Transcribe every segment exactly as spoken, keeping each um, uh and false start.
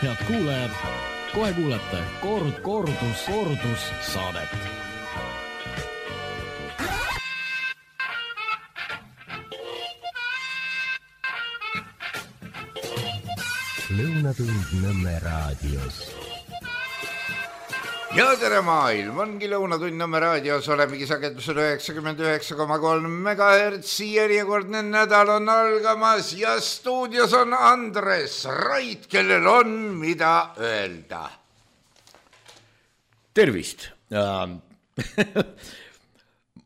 Head kuulajad, kohe kuulete kord, kordus, kordus saadet. Lõunatund Nõmme raadios. Ja tere maailm, ongi Lõunatund Nõmme raadios, olemegi sagedusel üheksakümmend üheksa koma kolm megahertsi, järjekordne nädal on algamas ja stuudios on Andres Rait, kellel on mida öelda. Tervist!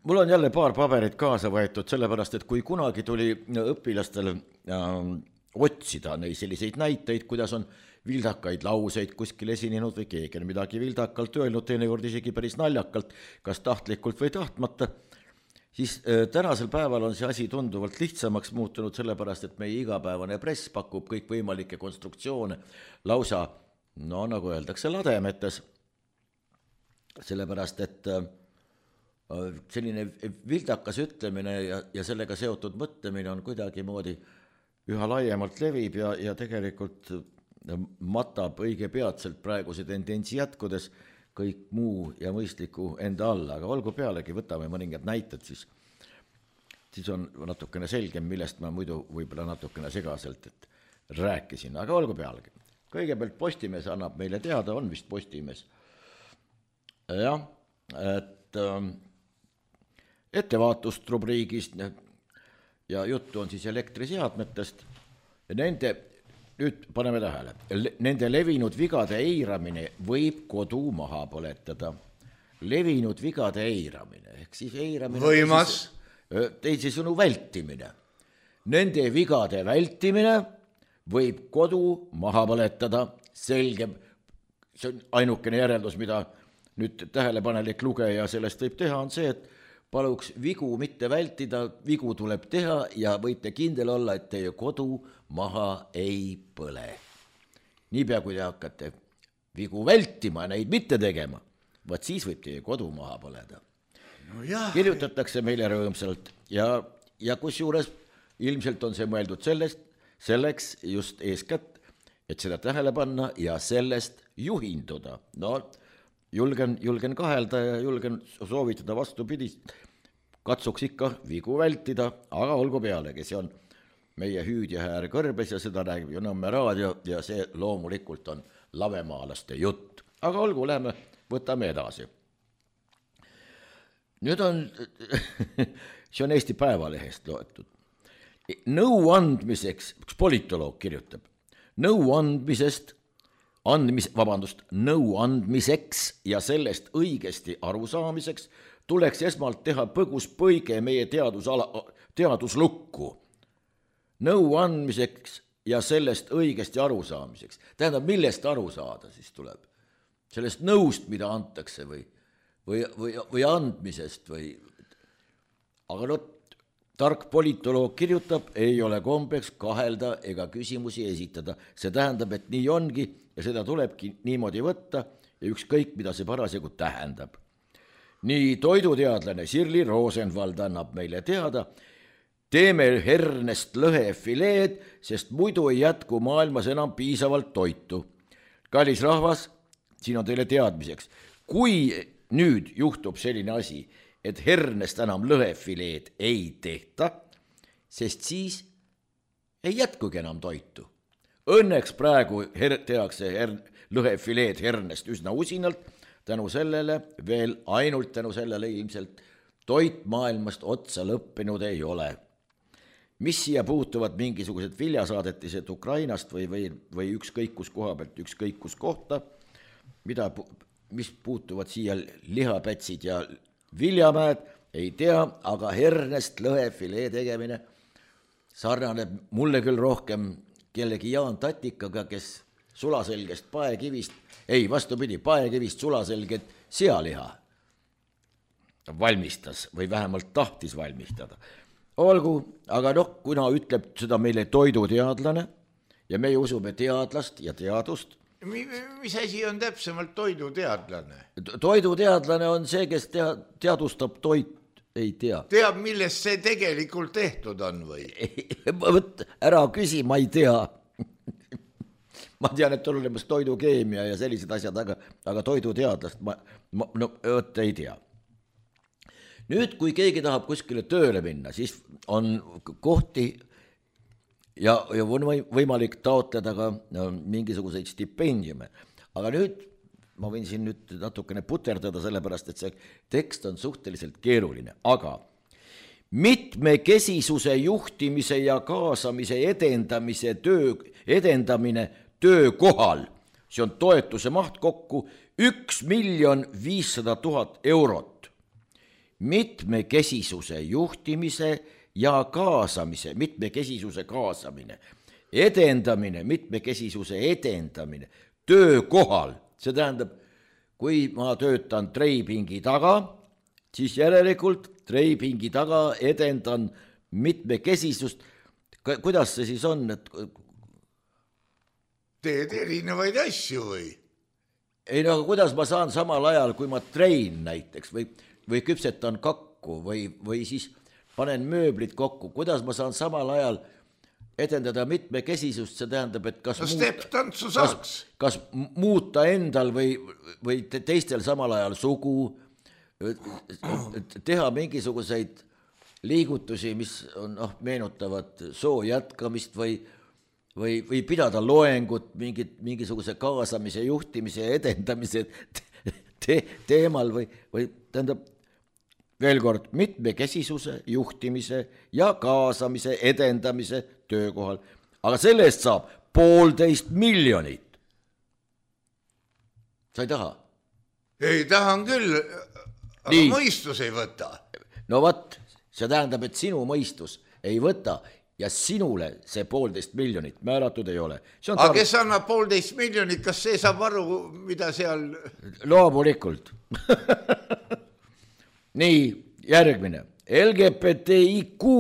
Mul on jälle paar paberit kaasa võetud, sellepärast, et kui kunagi tuli õpilastel otsida neid selliseid näiteid, kuidas on vildakaid lauseid kuskil esinenud või keegi on midagi vildakalt öelnud, teinekord isegi päris naljakalt, kas tahtlikult või tahtmata, siis tänasel päeval on see asi tunduvalt lihtsamaks muutunud, sellepärast, et meie igapäevane press pakub kõik võimalikke konstruktsioone lausa, no nagu öeldakse, lademetes, sellepärast, et selline vildakas ütlemine ja, ja sellega seotud mõtlemine on kuidagi moodi üha laiemalt levib ja, ja tegelikult matab õige peatselt praeguse tendentsi jätkudes kõik muu ja mõistliku enda alla, aga olgu pealegi, võtame mõningad näited, siis, siis on natukene selgem, millest ma muidu võib-olla natukene segaselt et rääkisin, aga olgu pealegi. Kõigepealt Postimees annab meile teada, on vist Postimees. Jah, et äh, ettevaatust rubriigist ja juttu on siis elektriseadmetest ja nende, nüüd paneme tähele, nende levinud vigade eiramine võib kodu maha põletada. Levinud vigade eiramine, ehk siis eiramine Võimas. teisisõnu vältimine. Nende vigade vältimine võib kodu maha põletada, selge, see on ainukene järeldus, mida nüüd tähelepanelik lugeja sellest võib teha, on see, et paluks vigu mitte vältida, vigu tuleb teha ja võite kindel olla, et teie kodu maha ei põle. Niipea, kui te hakkate vigu vältima, neid mitte tegema, vaat siis võib teie kodu maha põleda. No jah. Kirjutatakse meile rõõmsalt ja, ja kusjuures ilmselt on see mõeldud sellest, selleks just eeskätt, et seda tähele panna ja sellest juhinduda. No, Julgen, julgen kahelda ja julgen soovitada vastupidist. Katsuks ikka vigu vältida, aga olgu pealegi, see on meie hüüdjahäär kõrbes ja seda räägib ju Nõmme raadio ja see loomulikult on lavemaalaste jutt. Aga olgu, lähme, võtame edasi. Nüüd on, see on Eesti Päevalehest loetud. Nõu andmiseks, üks politoloog kirjutab, nõu andmisest Andmis, vabandust, nõu andmiseks ja sellest õigesti arusaamiseks tuleks esmalt teha põgus põige meie teadusala, teaduslukku. Nõu andmiseks ja sellest õigesti arusaamiseks. Tähendab, millest aru saada siis tuleb? Sellest nõust, mida antakse või, või, või, või andmisest või... Aga no, tark politoloog kirjutab, ei ole kombeks kahelda ega küsimusi esitada. See tähendab, et nii ongi ja seda tulebki niimoodi võtta ja ükskõik, mida see parasjagu tähendab. Nii toiduteadlane Sirli Rosenvald annab meile teada, teeme hernest lõhefileed, sest muidu ei jätku maailmas enam piisavalt toitu. Kallis rahvas, siin on teile teadmiseks, kui nüüd juhtub selline asi, et hernest enam lõhefileed ei tehta, sest siis ei jätkugi enam toitu. Õnneks praegu her- tehakse her- lõhefileed hernest üsna usinalt, tänu sellele, veel ainult tänu sellele ilmselt toit maailmast otsa lõppenud ei ole. Mis siia puutuvad mingisugused viljasaadetised Ukrainast või, või, või ükskõik kus koha pealt, ükskõik kus kohta, mida, mis puutuvad siia lihapätsid ja viljamäed, ei tea, aga hernest lõhefilee tegemine sarnaneb mulle küll rohkem kellegi Jaan Tatikaga, kes sulaselgest paekivist, ei vastupidi, paekivist sulaselget sealiha valmistas või vähemalt tahtis valmistada. Olgu, aga noh, kuna ütleb seda meile toiduteadlane ja meie usume teadlast ja teadust. Mis asi on täpsemalt toiduteadlane? Toiduteadlane on see, kes tea, teadustab toit, ei tea. Teab, millest see tegelikult tehtud on või? Võt, ära küsi, ma ei tea. ma tean, et on olemas toidukeemia ja sellised asjad, aga, aga toiduteadlast ma, ma no, õt ei tea. Nüüd, kui keegi tahab kuskile tööle minna, siis on kohti ja, ja on võimalik taotleda ka no, mingisuguseid stipendiume. Aga nüüd ma võin siin nüüd natukene puterdada, sellepärast, et see tekst on suhteliselt keeruline, aga mitmekesisuse juhtimise ja kaasamise edendamise töö, edendamine töökohal, see on toetuse maht kokku üks miljon viissada tuhat eurot. Mitmekesisuse juhtimise ja kaasamise, mitmekesisuse kaasamine, edendamine, mitmekesisuse edendamine töökohal, see tähendab, kui ma töötan treipingi taga, siis järelikult treipingi taga edendan mitmekesisust. Kuidas see siis on? Et... Teed erinevaid asju või? Ei no, aga kuidas ma saan samal ajal, kui ma trein näiteks või, või küpsetan kakku või, või siis panen mööblit kokku, kuidas ma saan samal ajal edendada mitmekesisust, see tähendab, et kas, no muuta, kas, kas muuta endal või, või teistel samal ajal sugu, teha mingisuguseid liigutusi, mis on, noh, meenutavad soo jätkamist või, või, või pidada loengut mingit, mingisuguse kaasamise, juhtimise ja edendamise te, teemal või, või tähendab veel kord mitmekesisuse, juhtimise ja kaasamise, edendamise töökohal. Aga selle eest saab poolteist miljonit. Sa ei taha? Ei, tahan küll, aga Nii. mõistus ei võta. No võt, see tähendab, et sinu mõistus ei võta ja sinule see poolteist miljonit määratud ei ole. Aga tar... kes annab poolteist miljonit, kas see saab aru, mida seal... Loomulikult. Nii, järgmine. L G B T I Q.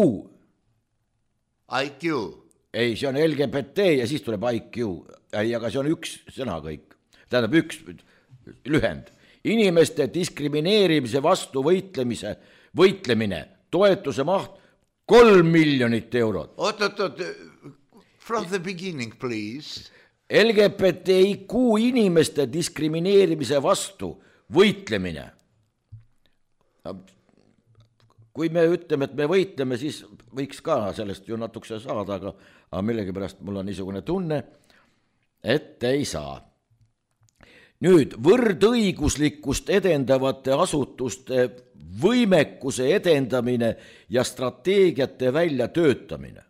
I Q. Ei, see on L G B T ja siis tuleb I Q. Ei, aga see on üks sõna kõik. Tähendab üks lühend. Inimeste diskrimineerimise vastu võitlemise, võitlemine, toetuse maht kolm miljonit eurot. Oot, oot, oot, from the beginning, please. L G B T I Q inimeste diskrimineerimise vastu võitlemine. Kui me ütleme, et me võitleme, siis võiks ka sellest ju natukese saada, aga, aga millegi pärast mul on niisugune tunne, et ei saa. Nüüd, võrdõiguslikkust edendavate asutuste võimekuse edendamine ja strateegiate välja töötamine.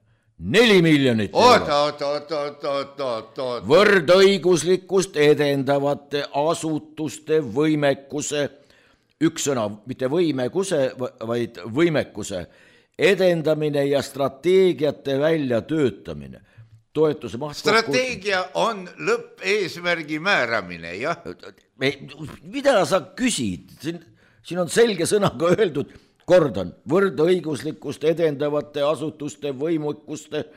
Neli miljonit eurot. Oot, oot, oot, oot, oot, oot. Võrdõiguslikkust edendavate asutuste võimekuse üks sõna, mitte võimekuse, vaid võimekuse edendamine ja strateegiate välja töötamine. Toetuse maht strateegia kokku... on lõppeesmärgi määramine, jah? Mida sa küsid? Siin, siin on selge sõnaga öeldud, kordan, võrdõiguslikkust edendavate asutuste võimekuste,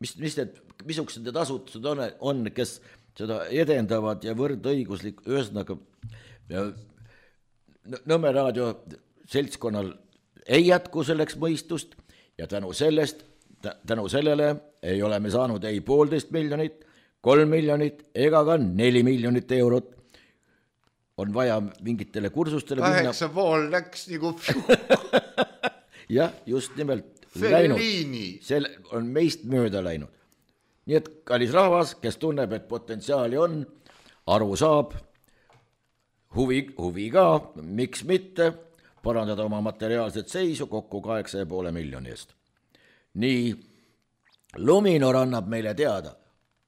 mis, mis need, missugused need asutused on, on, kes seda edendavad ja võrdõiguslik, ühesõnaga... Nõmme raadio seltskonnal ei jätku selleks mõistust ja tänu sellest, tänu sellele ei ole me saanud ei poolteist miljonit, kolm miljonit ega ka neli miljonit eurot. On vaja mingitele kursustele minna. Kaheksa pool läks nagu jah, just nimelt Fellini. See on meist mööda läinud. Nii et kallis rahvas, kes tunneb, et potentsiaali on, aru saab, Huvi, huvi ka, miks mitte, parandada oma materiaalset seisu kokku kaheksa ja poole miljoni eest. Nii, Luminor annab meile teada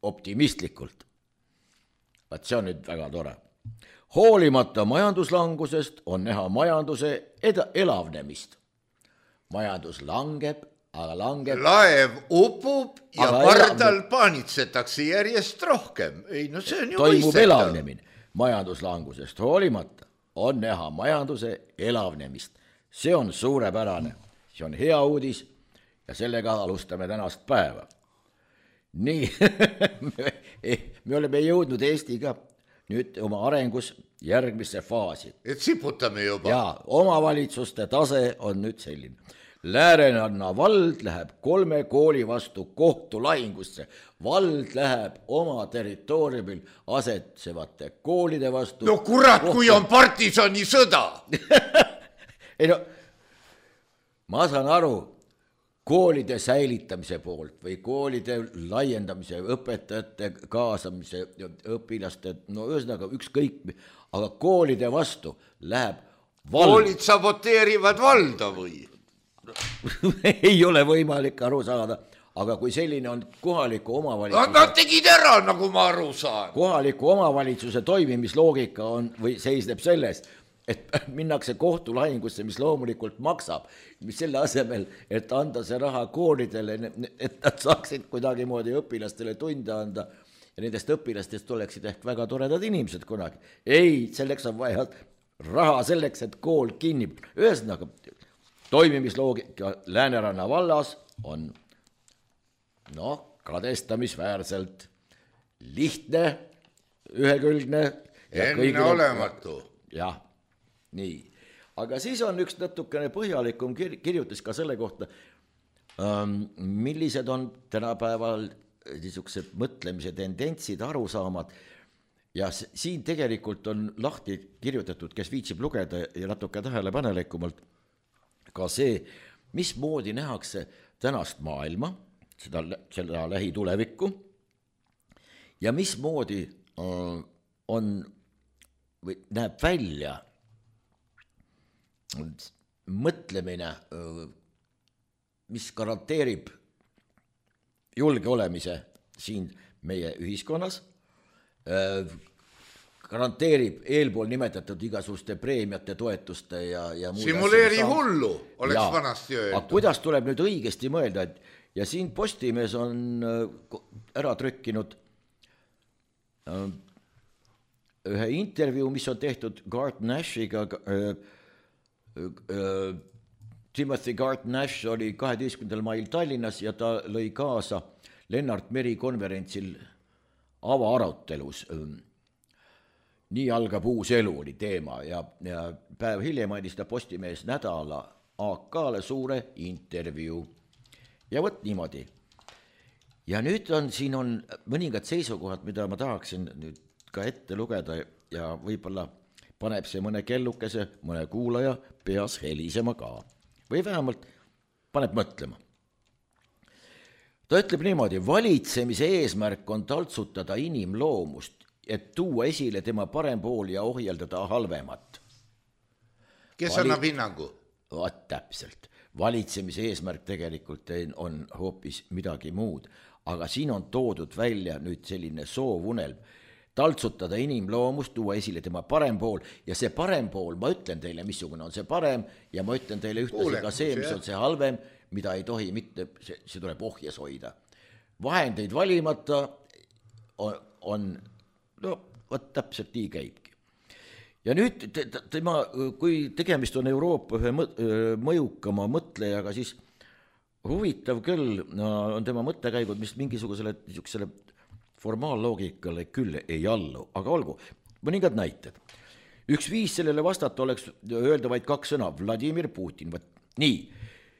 optimistlikult. Vaat see on nüüd väga tore. Hoolimata majanduslangusest on näha majanduse eda- elavnemist. Majandus langeb, aga langeb... Laev upub ja pardal paanitsetakse järjest rohkem. Ei, no see on ju toimub mõistetav. Elavnemine. Majanduslangusest hoolimata on näha majanduse elavnemist. See on suurepärane, see on hea uudis ja sellega alustame tänast päeva. Nii, me oleme jõudnud Eestiga nüüd oma arengus järgmisse faasi. Et siputame juba. Ja omavalitsuste tase on nüüd selline. Lääneranna vald läheb kolme kooli vastu kohtulahingusse. Vald läheb oma territooriumil asetsevate koolide vastu. No kurat, kohtu... kui on partisani sõda. Ei no, ma saan aru koolide säilitamise poolt või koolide laiendamise, õpetajate kaasamise, õpilaste, no ühesõnaga ükskõik, aga koolide vastu läheb vald. Koolid saboteerivad valda või? Ei ole võimalik aru saada, aga kui selline on kohaliku omavalitsuse... Nad tegid ära, nagu ma aru saan. Kohaliku omavalitsuse toimimisloogika on või seisneb selles, et minnakse kohtulahingusse, mis loomulikult maksab, mis selle asemel, et anda see raha koolidele, et nad saaksid kuidagi moodi õpilastele tunde anda ja nendest õpilastest oleksid ehk väga toredad inimesed kunagi. Ei, selleks on vaja raha selleks, et kool kinni. Ühesõnaga, toimimisloogika Lääneranna vallas on noh, kadestamisväärselt lihtne, ühekülgne ja enne olematu. Jah, nii. Aga siis on üks natukene põhjalikum kir- kirjutis ka selle kohta, millised on tänapäeval niisugused mõtlemise tendentsid, arusaamad ja siin tegelikult on lahti kirjutatud, kes viitsib lugeda ja natuke tähelepanelikumalt ka see, mismoodi nähakse tänast maailma, seda, seda lähitulevikku ja mismoodi on või näeb välja mõtlemine, mis garanteerib julge olemise siin meie ühiskonnas, garanteerib eelpool nimetatud igasuguste preemiate, toetuste ja, ja simuleeri hullu, oleks ja, vanasti öeldud. Aga kuidas tuleb nüüd õigesti mõelda, et ja siin Postimees on ära trükkinud ühe intervjuu, mis on tehtud Garth Nashiga. Timothy Garth Nash oli kaheteistkümnendal mail Tallinnas ja ta lõi kaasa Lennart Meri konverentsil avaarutelus. Nii algab uus elu oli teema ja, ja päev hiljem andis ta Postimees nädala A K-le suure intervjuu. Ja võt niimoodi. Ja nüüd on, siin on mõningad seisukohad, mida ma tahaksin nüüd ka ette lugeda ja võib-olla paneb see mõne kellukese, mõne kuulaja peas helisema ka. Või vähemalt paneb mõtlema. Ta ütleb niimoodi, valitsemise eesmärk on taltsutada inimloomust, et tuua esile tema parem pool ja ohjeldada halvemat. Kes Vali... annab hinnangu? Vaat täpselt. Valitsemise eesmärk tegelikult on hoopis midagi muud, aga siin on toodud välja nüüd selline soovunelm, taltsutada inimloomust, tuua esile tema parem pool ja see parem pool, ma ütlen teile, missugune on see parem ja ma ütlen teile ühtlasi ka see, mis on see halvem, mida ei tohi mitte, see, see tuleb ohjes hoida. Vahendeid valimata on, on no, võt täpselt nii käibki. Ja nüüd tema, kui tegemist on Euroopa ühe mõjukama mõtlejaga, siis huvitav küll on tema mõttekäigud, mis mingisugusele niisugusele formaalloogikale küll ei allu, aga olgu, mõningad näited. Üks viis sellele vastata oleks öelda vaid kaks sõna, Vladimir Putin. Nii,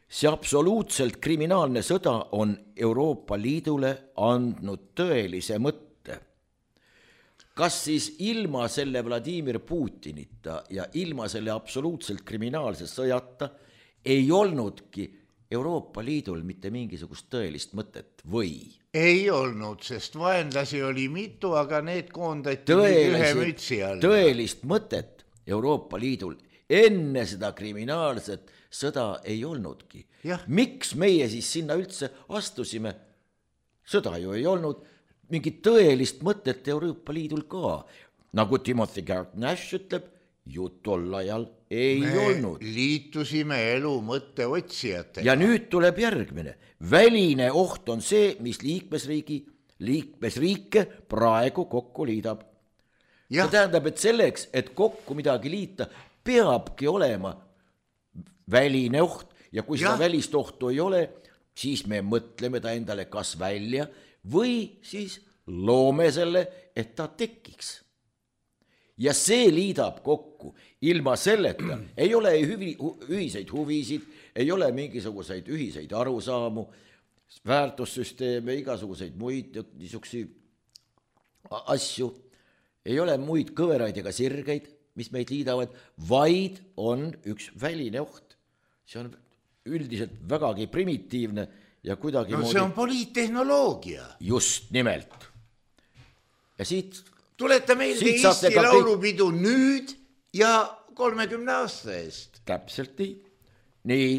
see absoluutselt kriminaalne sõda on Euroopa Liidule andnud tõelise mõtte. Kas siis ilma selle Vladimir Putinita ja ilma selle absoluutselt kriminaalse sõjata ei olnudki Euroopa Liidul mitte mingisugust tõelist mõtet või? Ei olnud, sest vaenlasi oli mitu, aga need koondati ühe mütsi all. Tõelist mõtet Euroopa Liidul enne seda kriminaalset sõda ei olnudki. Ja. Miks meie siis sinna üldse astusime? Sõda ju ei olnud, mingit tõelist mõtet Euroopa Liidul ka. Nagu Timothy Garth Nash ütleb, ju tol ajal ei Me olnud. Liitusime elu mõtte otsijatega. Ja nüüd tuleb järgmine. Väline oht on see, mis liikmesriigi, liikmesriike praegu kokku liidab. Ja. See tähendab, et selleks, et kokku midagi liita, peabki olema väline oht. Ja kui seda ja. välist ohtu ei ole, siis me mõtleme ta endale kas välja või siis loome selle, et ta tekiks. Ja see liidab kokku. Ilma selleta ei ole hüvi, ühiseid huvisid, ei ole mingisuguseid ühiseid arusaamu, väärtussüsteeme, igasuguseid muid niisuguseid asju, ei ole muid kõveraid ega sirgeid, mis meid liidavad, vaid on üks väline oht. See on üldiselt vägagi primitiivne ja kuidagi no see on poliittehnoloogia. Just nimelt. Ja siit tuleta meelde Eesti laulupidu kõik... nüüd ja kolmekümne aasta eest. Täpselt nii. Nii,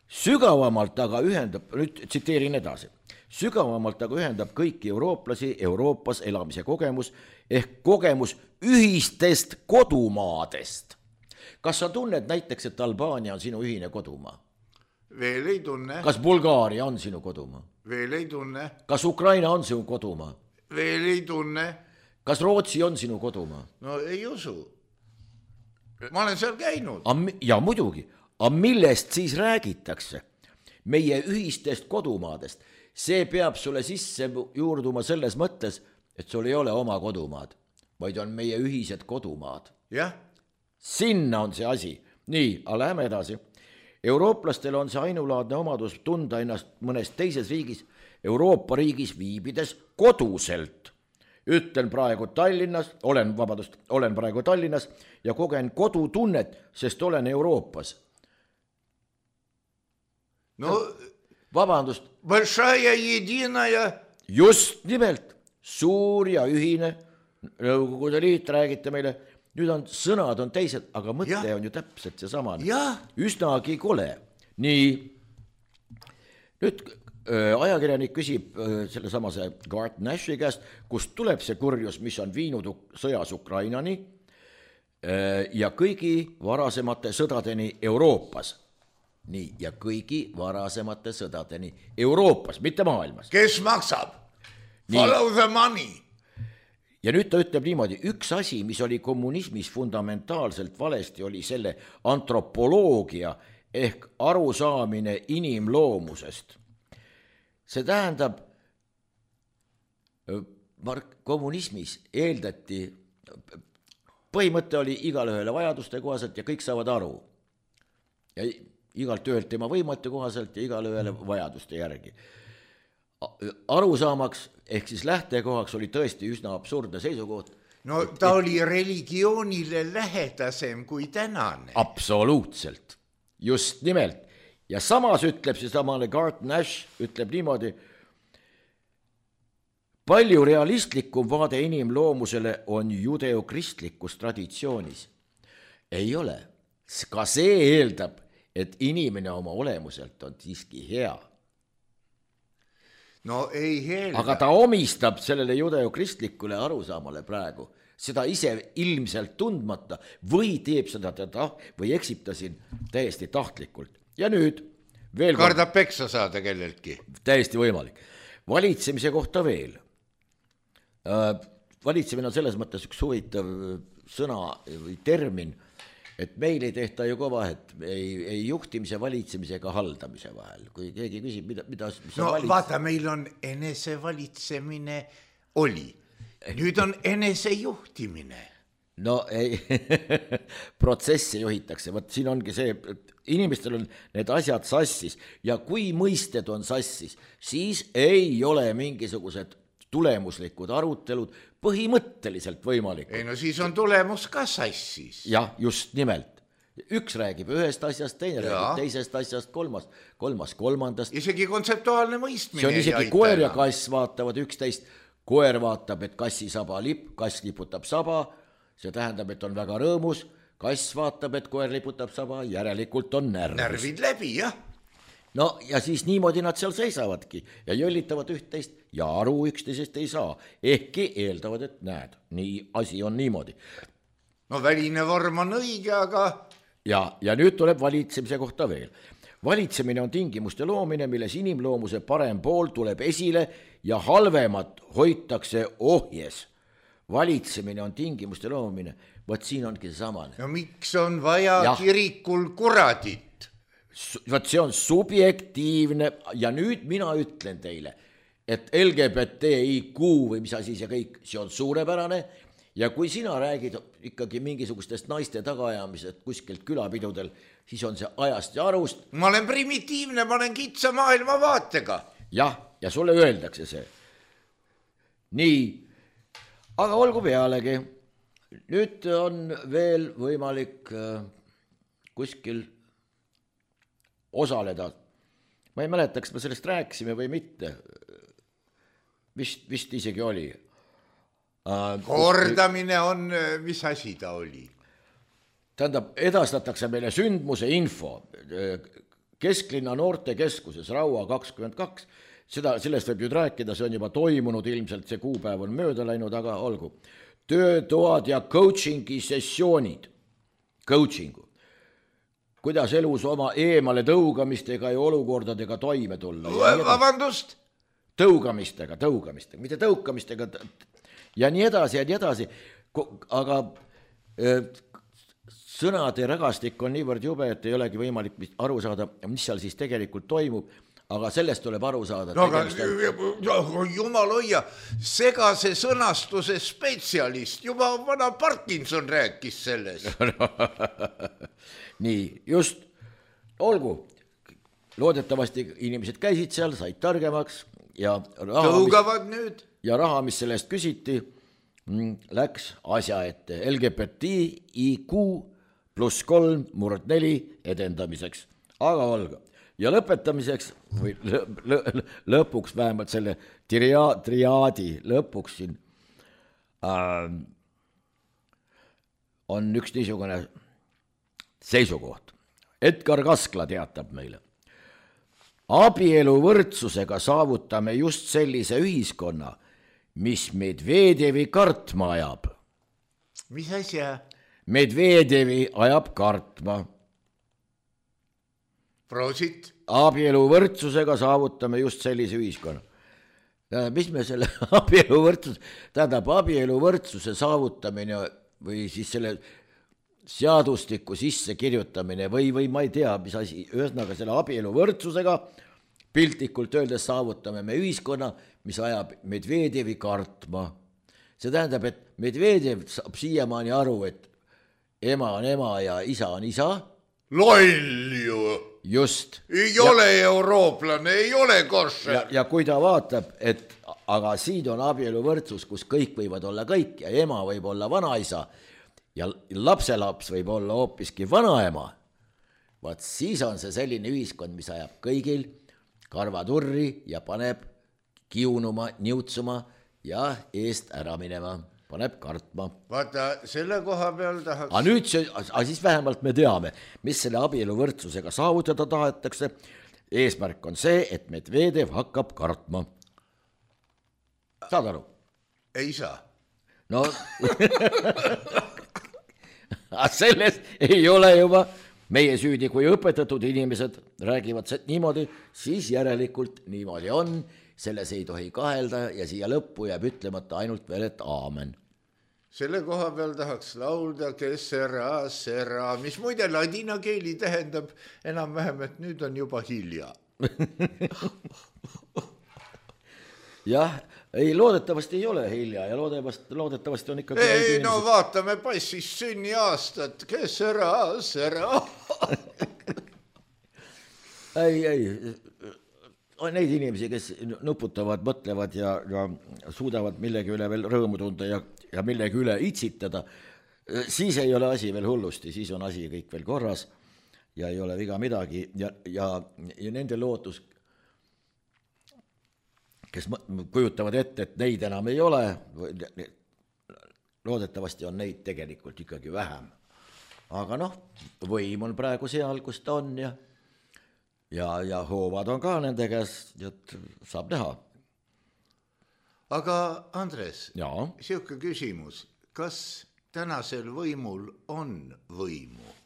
sügavamalt aga ühendab, nüüd tsiteerin edasi, sügavamalt aga ühendab kõiki eurooplasi Euroopas elamise kogemus ehk kogemus ühistest kodumaadest. Kas sa tunned näiteks, et Albaania on sinu ühine kodumaa? Veel ei tunne. Kas Bulgaaria on sinu kodumaa? Veel ei tunne. Kas Ukraina on sinu kodumaa? Veel ei tunne. Kas Rootsi on sinu kodumaa? No ei usu. Ma olen seal käinud. Ja muidugi, aga millest siis räägitakse? Meie ühistest kodumaadest. See peab sulle sisse juurduma selles mõttes, et sul ei ole oma kodumaad, vaid on meie ühised kodumaad. Jah. Sinna on see asi. Nii, aga läheme edasi. Eurooplastel on see ainulaadne omadus tunda ennast mõnes teises riigis, Euroopa riigis viibides koduselt. Ütlen praegu Tallinnas, olen, vabadust, olen praegu Tallinnas ja kogen kodutunnet, sest olen Euroopas. No, vabandust. Большая единая. Just nimelt, suur ja ühine, Nõukogude Liit räägite meile, nüüd on sõnad on teised, aga mõte ja. On ju täpselt see sama. Üsnagi kole. Nii, nüüd öö, ajakirjanik küsib öö, selle samase Garth Nashi käest, kust tuleb see kurjus, mis on viinud sõjas Ukrainani öö, ja kõigi varasemate sõdadeni Euroopas. Nii, ja kõigi varasemate sõdadeni Euroopas, mitte maailmas. Kes maksab? Follow the money. Ja nüüd ta ütleb niimoodi, üks asi, mis oli kommunismis fundamentaalselt valesti, oli selle antropoloogia ehk arusaamine inimloomusest. See tähendab, kommunismis eeldati, põhimõte oli igale ühele vajaduste kohaselt ja kõik saavad aru. Ja igalt ühelt tema võimete kohaselt ja igale ühele vajaduste järgi. Arusaamaks ehk siis lähtekohaks oli tõesti üsna absurdne seisukoht. No ta et, oli religioonile lähedasem kui tänane. Absoluutselt, just nimelt. Ja samas ütleb see samale Garth Nash, ütleb niimoodi, palju realistlikum vaade inimloomusele on judeokristlikus traditsioonis. Ei ole. Ka see eeldab, et inimene oma olemuselt on siiski hea. No ei heelda. Aga ta omistab sellele judeokristlikule arusaamale praegu, seda ise ilmselt tundmata või teeb seda ta või eksib ta siin täiesti tahtlikult. Ja nüüd veel kardab kord, peksa saada kelleltki. Täiesti võimalik. Valitsemise kohta veel. Valitsemine on selles mõttes üks huvitav sõna või termin, et meil ei tehta ju ka vahet ei, ei juhtimise, valitsemise ega haldamise vahel. Kui keegi küsib, mida, mida mis no valits... vaata, meil on enesevalitsemine oli. Nüüd on enesejuhtimine. No ei, protsessi juhitakse. Võt, siin ongi see, et inimestel on need asjad sassis ja kui mõisted on sassis, siis ei ole mingisugused tulemuslikud arutelud põhimõtteliselt võimalikud. Ei no siis on tulemus ka sassis. Jah, just nimelt. Üks räägib ühest asjast, teine ja. Räägib teisest asjast, kolmas, kolmas kolmandast. Isegi kontseptuaalne mõistmine. See on isegi koer ja kass vaatavad üksteist. Koer vaatab, et kassi saba lipp, kass liputab saba. See tähendab, et on väga rõõmus. Kass vaatab, et koer liputab saba, järelikult on närvis. Närvid läbi, jah. No ja siis niimoodi nad seal seisavadki ja jõllitavad üht-teist ja aru üksteisest ei saa. Ehkki eeldavad, et näed, nii asi on niimoodi. No väline vorm on õige, aga... Ja, ja nüüd tuleb valitsemise kohta veel. Valitsemine on tingimuste loomine, milles inimloomuse parem pool tuleb esile ja halvemat hoitakse ohjes. Valitsemine on tingimuste loomine. Võt siin ongi see samane. No miks on vaja ja. Kirikul kuradit? Võt see on subjektiivne ja nüüd mina ütlen teile, et L G B T I Q või mis asi see kõik, see on suurepärane ja kui sina räägid ikkagi mingisugustest naiste tagaajamisest kuskilt külapidudel, siis on see ajast ja arust. ma olen primitiivne, ma olen kitsa maailmavaatega. jah, ja sulle öeldakse see. nii, aga olgu pealegi. Nüüd on veel võimalik kuskil osaleda. Ma ei mäleta, kas me sellest rääkisime või mitte. Vist, vist isegi oli. Kordamine on, mis asi ta oli? Tähendab, edastatakse meile sündmuse info Kesklinna noortekeskuses Raua kakskümmend kaks. Seda, sellest võib nüüd rääkida, see on juba toimunud, ilmselt see kuupäev on mööda läinud, aga olgu. Töötoad ja coachingi sessioonid. Coachingu. Kuidas elus oma eemale tõugamistega ja olukordadega toime tulla. Vabandust? Tõugamistega, tõugamistega, mitte tõukamistega ja nii edasi ja nii edasi. Aga sõnade rägastik on niivõrd jube, et ei olegi võimalik aru saada, mis seal siis tegelikult toimub, aga sellest tuleb aru saada. No aga jumal hoia, segase sõnastuse spetsialist, juba vana Parkinson rääkis sellest. Nii, just, olgu, loodetavasti inimesed käisid seal, said targemaks ja raha, tõugavad mis, nüüd. Ja raha, mis sellest küsiti, läks asja ette L G B T I Q pluss kolm murd neli edendamiseks, aga olgu. Ja lõpetamiseks, või lõ, lõ, lõpuks vähemalt selle tria, triaadi lõpuks siin äh, on üks niisugune seisukoht. Edgar Kaskla teatab meile. Abielu võrdsusega saavutame just sellise ühiskonna, mis Medvedevi kartma ajab. Mis asja? Medvedevi ajab kartma. Prosit. Abielu võrdsusega saavutame just sellise ühiskonna. Mis me selle abielu võrdsus, tähendab abielu võrdsuse saavutamine või siis selle seadustiku sisse kirjutamine või, või ma ei tea, mis asi, ühesõnaga selle abielu võrdsusega piltlikult öeldes saavutame me ühiskonna, mis ajab Medvedevi kartma. See tähendab, et Medvedev saab siiamaani aru, et ema on ema ja isa on isa. Loll ju. Just. Ei ja, ole eurooplane, ei ole košer. Ja, ja kui ta vaatab, et aga siin on abielu võrdsus, kus kõik võivad olla kõik ja ema võib olla vanaisa ja lapselaps võib olla hoopiski vanaema, vaat siis on see selline ühiskond, mis ajab kõigil karvaturri ja paneb kiunuma, niutsuma ja eest ära minema, paneb kartma. Vaata, selle koha peal tahaks... Aga nüüd see, aga siis vähemalt me teame, mis selle abielu võrdsusega saavutada tahetakse. Eesmärk on see, et Medvedev hakkab kartma. Saad aru? Ei saa. No... Sellest ei ole juba meie süüdi, kui õpetatud inimesed räägivad niimoodi, siis järelikult niimoodi on, selles ei tohi kahelda ja siia lõppu jääb ütlemata ainult veel, et aamen. Selle koha peal tahaks laulda Kessera, Sera, mis muide ladina keeli tähendab enam-vähem, et nüüd on juba hilja. Jah, ei, loodetavasti ei ole hilja ja loodetavasti, loodetavasti on ikka... Ei, inimesed... no vaatame passis sünni aastat, kes ära, ära. ei, ei, on neid inimesi, kes nuputavad, mõtlevad ja, ja suudavad millegi üle veel rõõmu tunda ja, ja millegi üle itsitada, siis ei ole asi veel hullusti, siis on asi kõik veel korras ja ei ole viga midagi ja, ja, ja nende lootus kes kujutavad ette, et neid enam ei ole, loodetavasti on neid tegelikult ikkagi vähem. Aga noh, võim on praegu seal, kus ta on ja, ja, ja hoovad on ka nende käes, et saab näha. Aga Andres, ja. Siuke küsimus, kas tänasel võimul on võimu?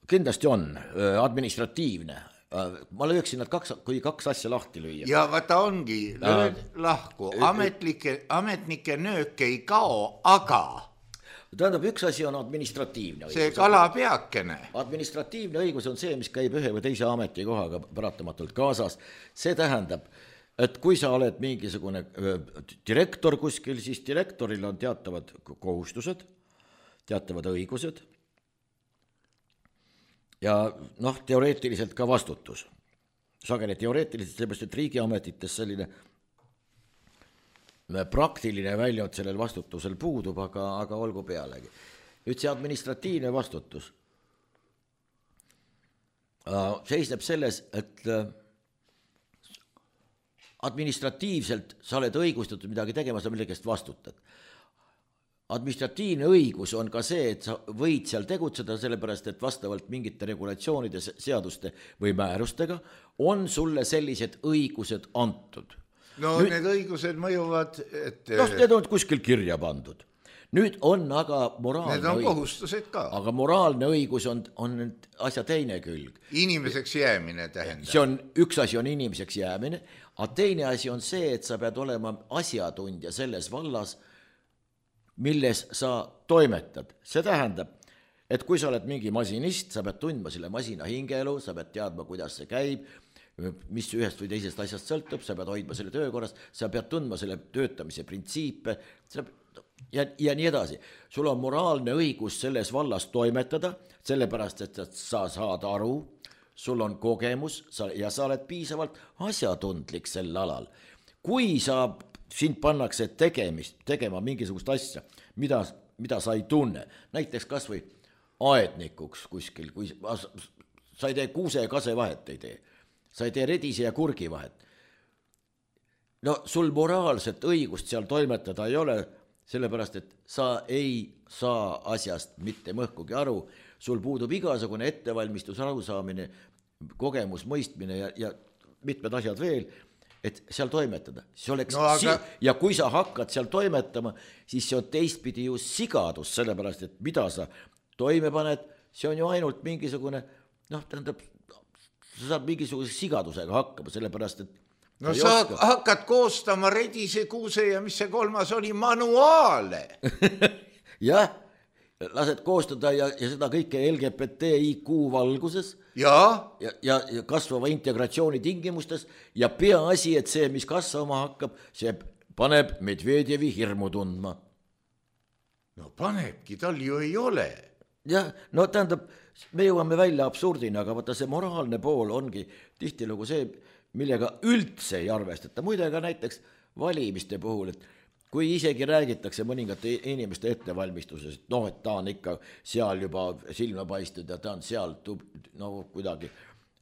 Kindlasti on, administratiivne. Ma lööksin nad kaks, kui kaks asja lahti lüüa. Ja vaata ongi, lööd lahku, ametlike, ametnike nöök ei kao, aga... Tähendab, üks asi on administratiivne õigus. See kalapeakene. Administratiivne õigus on see, mis käib ühe või teise ametikohaga paratamatult kaasas. See tähendab, et kui sa oled mingisugune direktor kuskil, siis direktoril on teatavad kohustused, teatavad õigused ja noh, teoreetiliselt ka vastutus. Sageli teoreetiliselt, sellepärast, et riigiametites selline praktiline väljund sellel vastutusel puudub, aga, aga olgu pealegi. Nüüd see administratiivne vastutus seisneb selles, et administratiivselt sa oled õigustatud midagi tegema, sa millegest vastutad. Administratiivne õigus on ka see, et sa võid seal tegutseda, sellepärast, et vastavalt mingite regulatsioonide, seaduste või määrustega on sulle sellised õigused antud. No nüüd, need õigused mõjuvad, et... noh, need on kuskil kirja pandud. Nüüd on aga moraalne need on õigus. Kohustused ka. Aga moraalne õigus on, on asja teine külg. Inimeseks jäämine tähendab. See on, üks asi on inimeseks jäämine, aga teine asi on see, et sa pead olema asjatundja selles vallas, milles sa toimetad. See tähendab, et kui sa oled mingi masinist, sa pead tundma selle masina hingeelu, sa pead teadma, kuidas see käib, mis ühest või teisest asjast sõltub, sa pead hoidma selle töökorras, sa pead tundma selle töötamise printsiipe ja, ja nii edasi. Sul on moraalne õigus selles vallas toimetada, sellepärast, et sa saad aru, sul on kogemus ja sa oled piisavalt asjatundlik sel alal. Kui sa, sind pannakse tegemist, tegema mingisugust asja, mida, mida sa ei tunne, näiteks kas või aednikuks kuskil, kui sa ei tee kuuse ja kase vahet ei tee, sa ei tee redise ja kurgi vahet. No sul moraalset õigust seal toimetada ei ole, sellepärast, et sa ei saa asjast mitte mõhkugi aru, sul puudub igasugune ettevalmistus, arusaamine, kogemus, mõistmine ja, ja mitmed asjad veel, et seal toimetada. See oleks no, aga... si- ja kui sa hakkad seal toimetama, siis see on teistpidi ju sigadus, sellepärast, et mida sa toime paned, see on ju ainult mingisugune, noh, tähendab, sa saad mingisuguse sigadusega hakkama, sellepärast, et no sa oska. Hakkad koostama redise, kuuse ja mis see kolmas oli, manuaale. Jah, lased koostada ja, ja seda kõike L G B T I Q valguses ja? Ja, ja, ja kasvava integratsiooni tingimustes ja peaasi, et see, mis kasvama hakkab, see paneb Medvedjevi hirmu tundma. No panebki, tal ju ei ole. Jah, no tähendab, me jõuame välja absurdina, aga vaata see moraalne pool ongi tihtilugu see, millega üldse ei arvestata. Muide ka näiteks valimiste puhul, et kui isegi räägitakse mõningate inimeste ettevalmistuses, et noh, et ta on ikka seal juba silma paistud ja ta on seal tub, no kuidagi,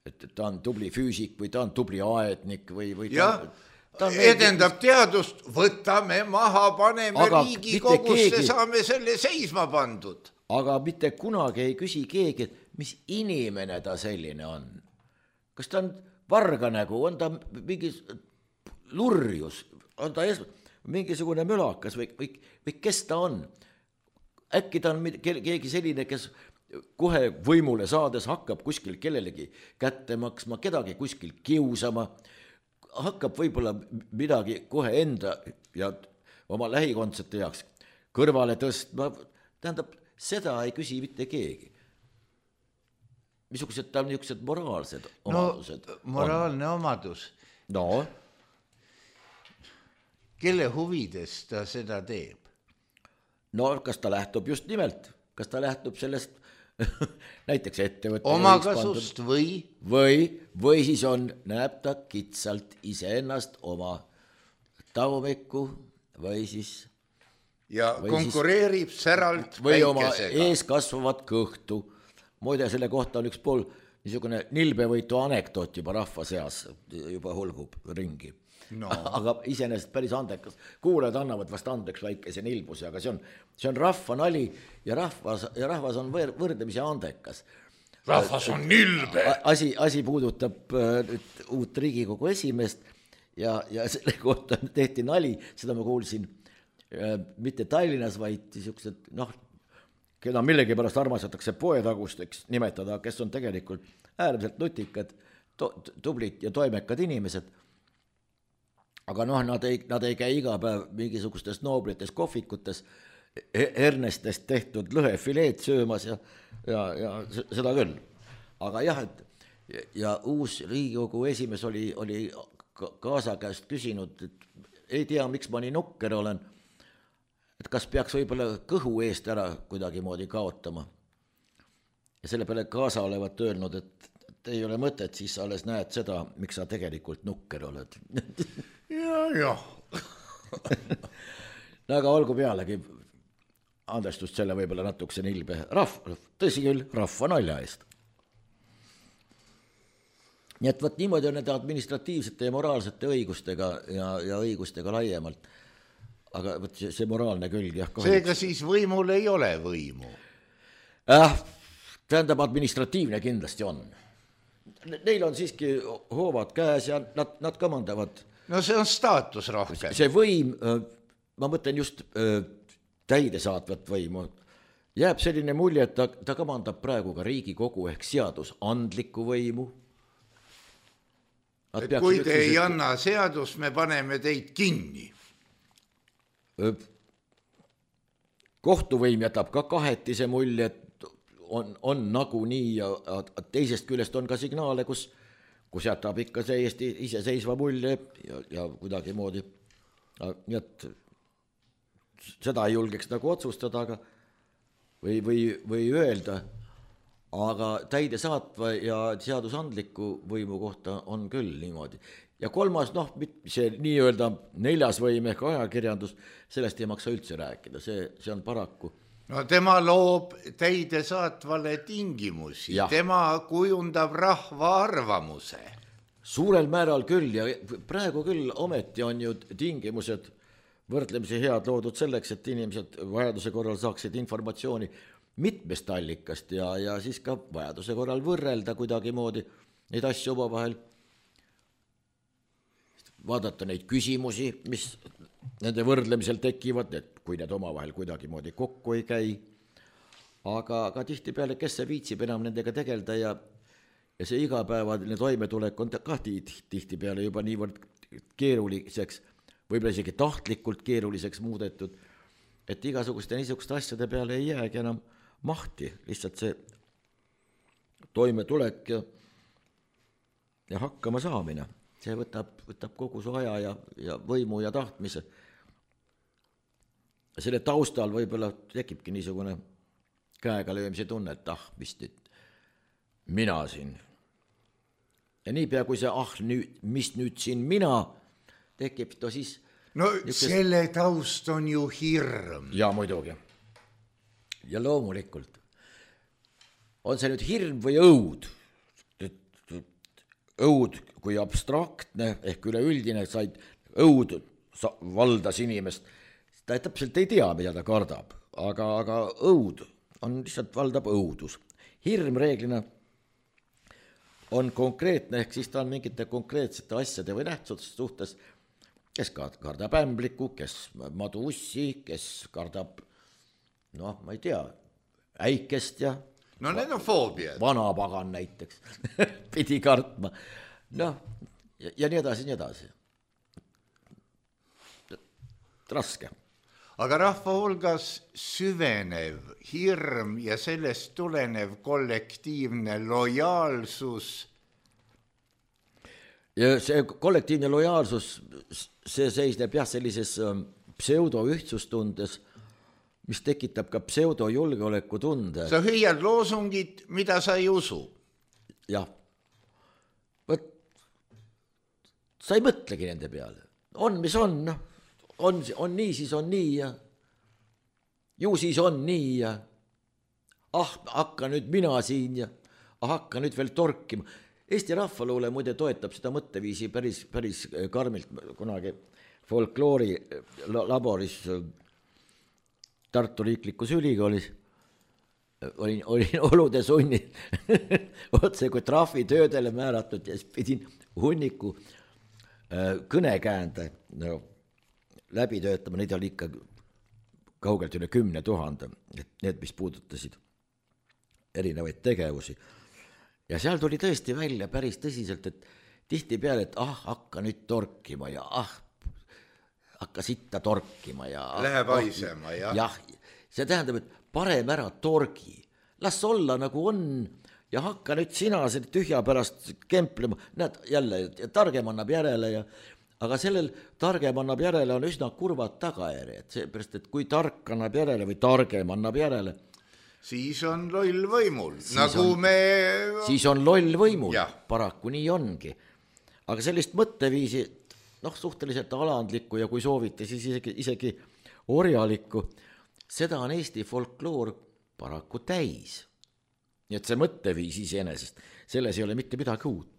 et ta on tubli füüsik või ta on tubli aednik või, või ta, ta on edendab meeldib... teadust, võtame maha, paneme aga Riigikogusse, keegi... saame selle seisma pandud. Aga mitte kunagi ei küsi keegi, mis inimene ta selline on. Kas ta on varga nägu, on ta mingi lurjus, on ta es... mingisugune mölakas või, või, või kes ta on? Äkki ta on keegi selline, kes kohe võimule saades hakkab kuskil kellelegi kätte maksma, kedagi kuskil kiusama, hakkab võib-olla midagi kohe enda ja oma lähikondsete jaoks kõrvale tõstma, tähendab, seda ei küsi mitte keegi. Missugused ta on niisugused moraalsed omadused? No, moraalne on? Omadus. No? Kelle huvides ta seda teeb? No, kas ta lähtub just nimelt? Kas ta lähtub sellest näiteks ettevõtte omakasust või? Või, või siis on, näeb ta kitsalt iseennast oma tagumikku või siis ja või konkureerib siis, säralt või oma ees kasvavat kõhtu. Muide, selle kohta on üks pool niisugune nilbevõitu anekdoot juba rahva seas, juba hulgub ringi. No. Aga iseenesest päris andekas. Kuulajad annavad vast andeks väikese nilbuse, aga see on, see on rahva nali ja rahvas, ja rahvas on võr, võrdlemisi andekas. Rahvas on nilbe. Asi, asi puudutab nüüd uut Riigikogu esimeest ja, ja selle kohta tehti nali, seda ma kuulsin mitte Tallinnas, vaid niisugused, noh, keda millegi pärast armastatakse poetagusteks nimetada, kes on tegelikult äärmiselt nutikad, tublid ja toimekad inimesed. Aga noh, nad ei, nad ei käi iga päev mingisugustes nooblites kohvikutes hernestest tehtud lõhefileed söömas ja, ja, ja seda küll. Aga jah, et ja uus Riigikogu esimees oli, oli kaasa käest küsinud, et ei tea, miks ma nii nukker olen, et kas peaks võib-olla kõhu eest ära kuidagi moodi kaotama. Ja selle peale kaasa olevat öelnud, et, et ei ole mõtet, siis sa alles näed seda, miks sa tegelikult nukker oled. ja, ja. No aga olgu pealegi andestust selle võib-olla natukese nilbe. Rahv, tõsi küll, rahva nalja eest. Nii et võt niimoodi on nende administratiivsete ja moraalsete õigustega ja, ja õigustega laiemalt. Aga võt see, see moraalne külg, jah. Seega siis võimul ei ole võimu? Äh, tähendab, administratiivne kindlasti on. Neil on siiski hoovad käes ja nad, nad kamandavad. No see on staatus rohkem. See võim, ma mõtlen just täidesaatvat võimu, jääb selline mulje, et ta, ta kamandab praegu ka Riigikogu ehk seadusandlikku võimu. Et kui te ei anna seadust, me paneme teid kinni. Kohtuvõim jätab ka kahetise mulje, et on, on nagu nii ja teisest küljest on ka signaale, kus, kus jätab ikka see Eesti iseseisva mulje ja, ja kuidagi moodi. Nii et seda ei julgeks nagu otsustada aga, või, või, või öelda, aga täide saatva ja seadusandliku võimu kohta on küll niimoodi. Ja kolmas, noh, see nii-öelda neljas võim ehk ajakirjandus, sellest ei maksa üldse rääkida, see, see on paraku. No tema loob täide saatvale tingimusi, ja. Tema kujundab rahva arvamuse. Suurel määral küll ja praegu küll ometi on ju tingimused võrdlemisi head loodud selleks, et inimesed vajaduse korral saaksid informatsiooni mitmest allikast ja, ja siis ka vajaduse korral võrrelda kuidagi moodi neid asju oma vahel, vaadata neid küsimusi, mis nende võrdlemisel tekivad, et kui need oma vahel kuidagi moodi kokku ei käi, aga, aga tihti peale, kes see viitsib enam nendega tegelda ja, ja see igapäevaline toimetulek on ka tihti peale juba niivõrd keeruliseks, võib-olla isegi tahtlikult keeruliseks muudetud, et igasuguste niisuguste asjade peale ei jäägi enam mahti, lihtsalt see toimetulek ja, ja hakkama saamine, see võtab, võtab kogu su aja ja, ja võimu ja tahtmise. Selle taustal võib-olla tekibki niisugune käega löömise tunne, et ah, mis nüüd, mina siin. Ja niipea kui see ah, nüüd, mis nüüd siin mina tekib, to siis... No niukest... selle taust on ju hirm. Ja muidugi. Ja loomulikult. On see nüüd hirm või õud? Õud kui abstraktne ehk üleüldine said õud valdas inimest. Ta täpselt ei tea, mida ta kardab, aga, aga õud on lihtsalt valdab õudus. Hirm reeglina on konkreetne, ehk siis ta on mingite konkreetsete asjade või nähtsuste suhtes, kes kardab ämbliku, kes madu ussi, kes kardab, noh, ma ei tea, äikest ja... No need on foobiad. Vanapagan näiteks pidi kartma. Noh, ja, ja nii edasi, nii edasi. Raske. Aga rahva hulgas süvenev hirm ja sellest tulenev kollektiivne lojaalsus. Ja see kollektiivne lojaalsus, see seisneb jah sellises pseudoühtsustundes, mis tekitab ka pseudojulgeoleku tunde. Sa hüüad loosungid, mida sa ei usu. Jah. Võt, sa ei mõtlegi nende peale. On, mis on, noh. On, on nii, siis on nii ja ju siis on nii ja ah, hakka nüüd mina siin ja ah, hakka nüüd veel torkima. Eesti rahvaluule muide toetab seda mõtteviisi päris, päris karmilt kunagi folkloori laboris Tartu riiklikus ülikoolis. Olin, olin olude sunni otse kui trahvitöödele määratud ja siis pidin hunniku kõnekäände no, läbi töötama, neid oli ikka kaugelt üle kümne tuhande, need, mis puudutasid erinevaid tegevusi. Ja seal tuli tõesti välja päris tõsiselt, et tihti peale, et ah, hakka nüüd torkima ja ah, hakka sitta torkima ja ah, läheb haisema, jah. Jah, see tähendab, et parem ära torgi, las olla nagu on ja hakka nüüd sina selle tühja pärast kemplema, näed jälle, targem annab järele ja aga sellel targem annab järele on üsna kurvad tagajärjed, seepärast, et kui tark annab järele või targem annab järele, siis on loll võimul, nagu on, me... Siis on loll võimul, ja. Paraku nii ongi. Aga sellist mõtteviisi, noh, suhteliselt alandlikku ja kui soovite, siis isegi, isegi orjalikku, seda on Eesti folkloor paraku täis. Nii et see mõtteviis iseenesest, selles ei ole mitte midagi uut.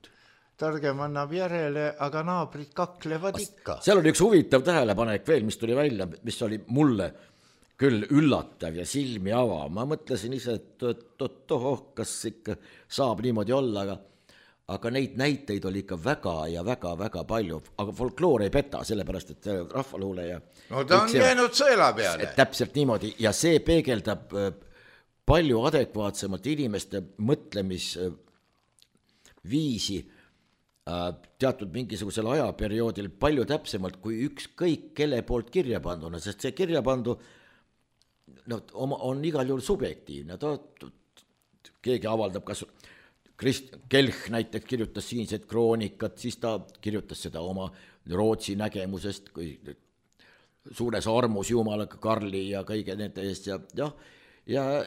Targem annab järele, aga naabrid kaklevad ikka. Seal oli üks huvitav tähelepanek veel, mis tuli välja, mis oli mulle küll üllatav ja silmi ava. Ma mõtlesin ise, et tohoh, kas ikka saab niimoodi olla, aga, aga neid näiteid oli ikka väga ja väga, väga palju. Aga folkloor ei peta, sellepärast, et rahvaluule ja... No ta on see, jäänud sõela peale. Täpselt niimoodi ja see peegeldab palju adekvaatsemalt inimeste mõtlemisviisi teatud mingisugusel ajaperioodil palju täpsemalt kui ükskõik kelle poolt kirja panduna, sest see kirja pandu no, on igal juhul subjektiivne. Ta, keegi avaldab, kas Krist Kelch näiteks kirjutas siinsed kroonikat, siis ta kirjutas seda oma Rootsi nägemusest, kui suures armus Jumalaga Karli ja kõige nende eest ja, ja, ja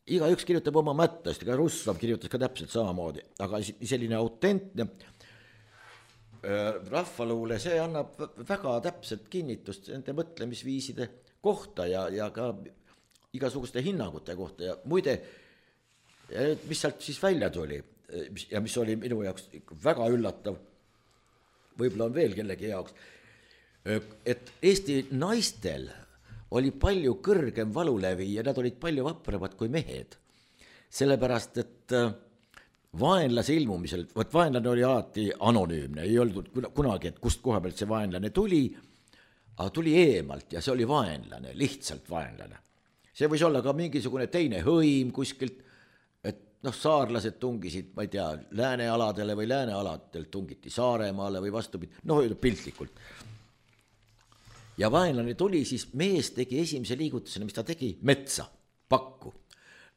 iga üks kirjutab oma mättast, ega Russlav kirjutas ka täpselt samamoodi, aga selline autentne rahvaluule, see annab väga täpselt kinnitust nende mõtlemisviiside kohta ja, ja ka igasuguste hinnangute kohta ja muide, mis sealt siis välja tuli ja mis oli minu jaoks väga üllatav, võib-olla on veel kellegi jaoks, et Eesti naistel oli palju kõrgem valulevi ja nad olid palju vapramad kui mehed. Sellepärast, et vaenlase ilmumisel, võt vaenlane oli alati anonüümne, ei olnud kunagi, et kust koha pealt see vaenlane tuli, aga tuli eemalt ja see oli vaenlane, lihtsalt vaenlane. See võis olla ka mingisugune teine hõim kuskilt, et noh, saarlased tungisid, ma ei tea, läänealadele või läänealadel tungiti Saaremaale või vastupidi, noh, piltlikult. Ja vaenlane tuli, siis mees tegi esimese liigutusena, mis ta tegi, metsa, pakku.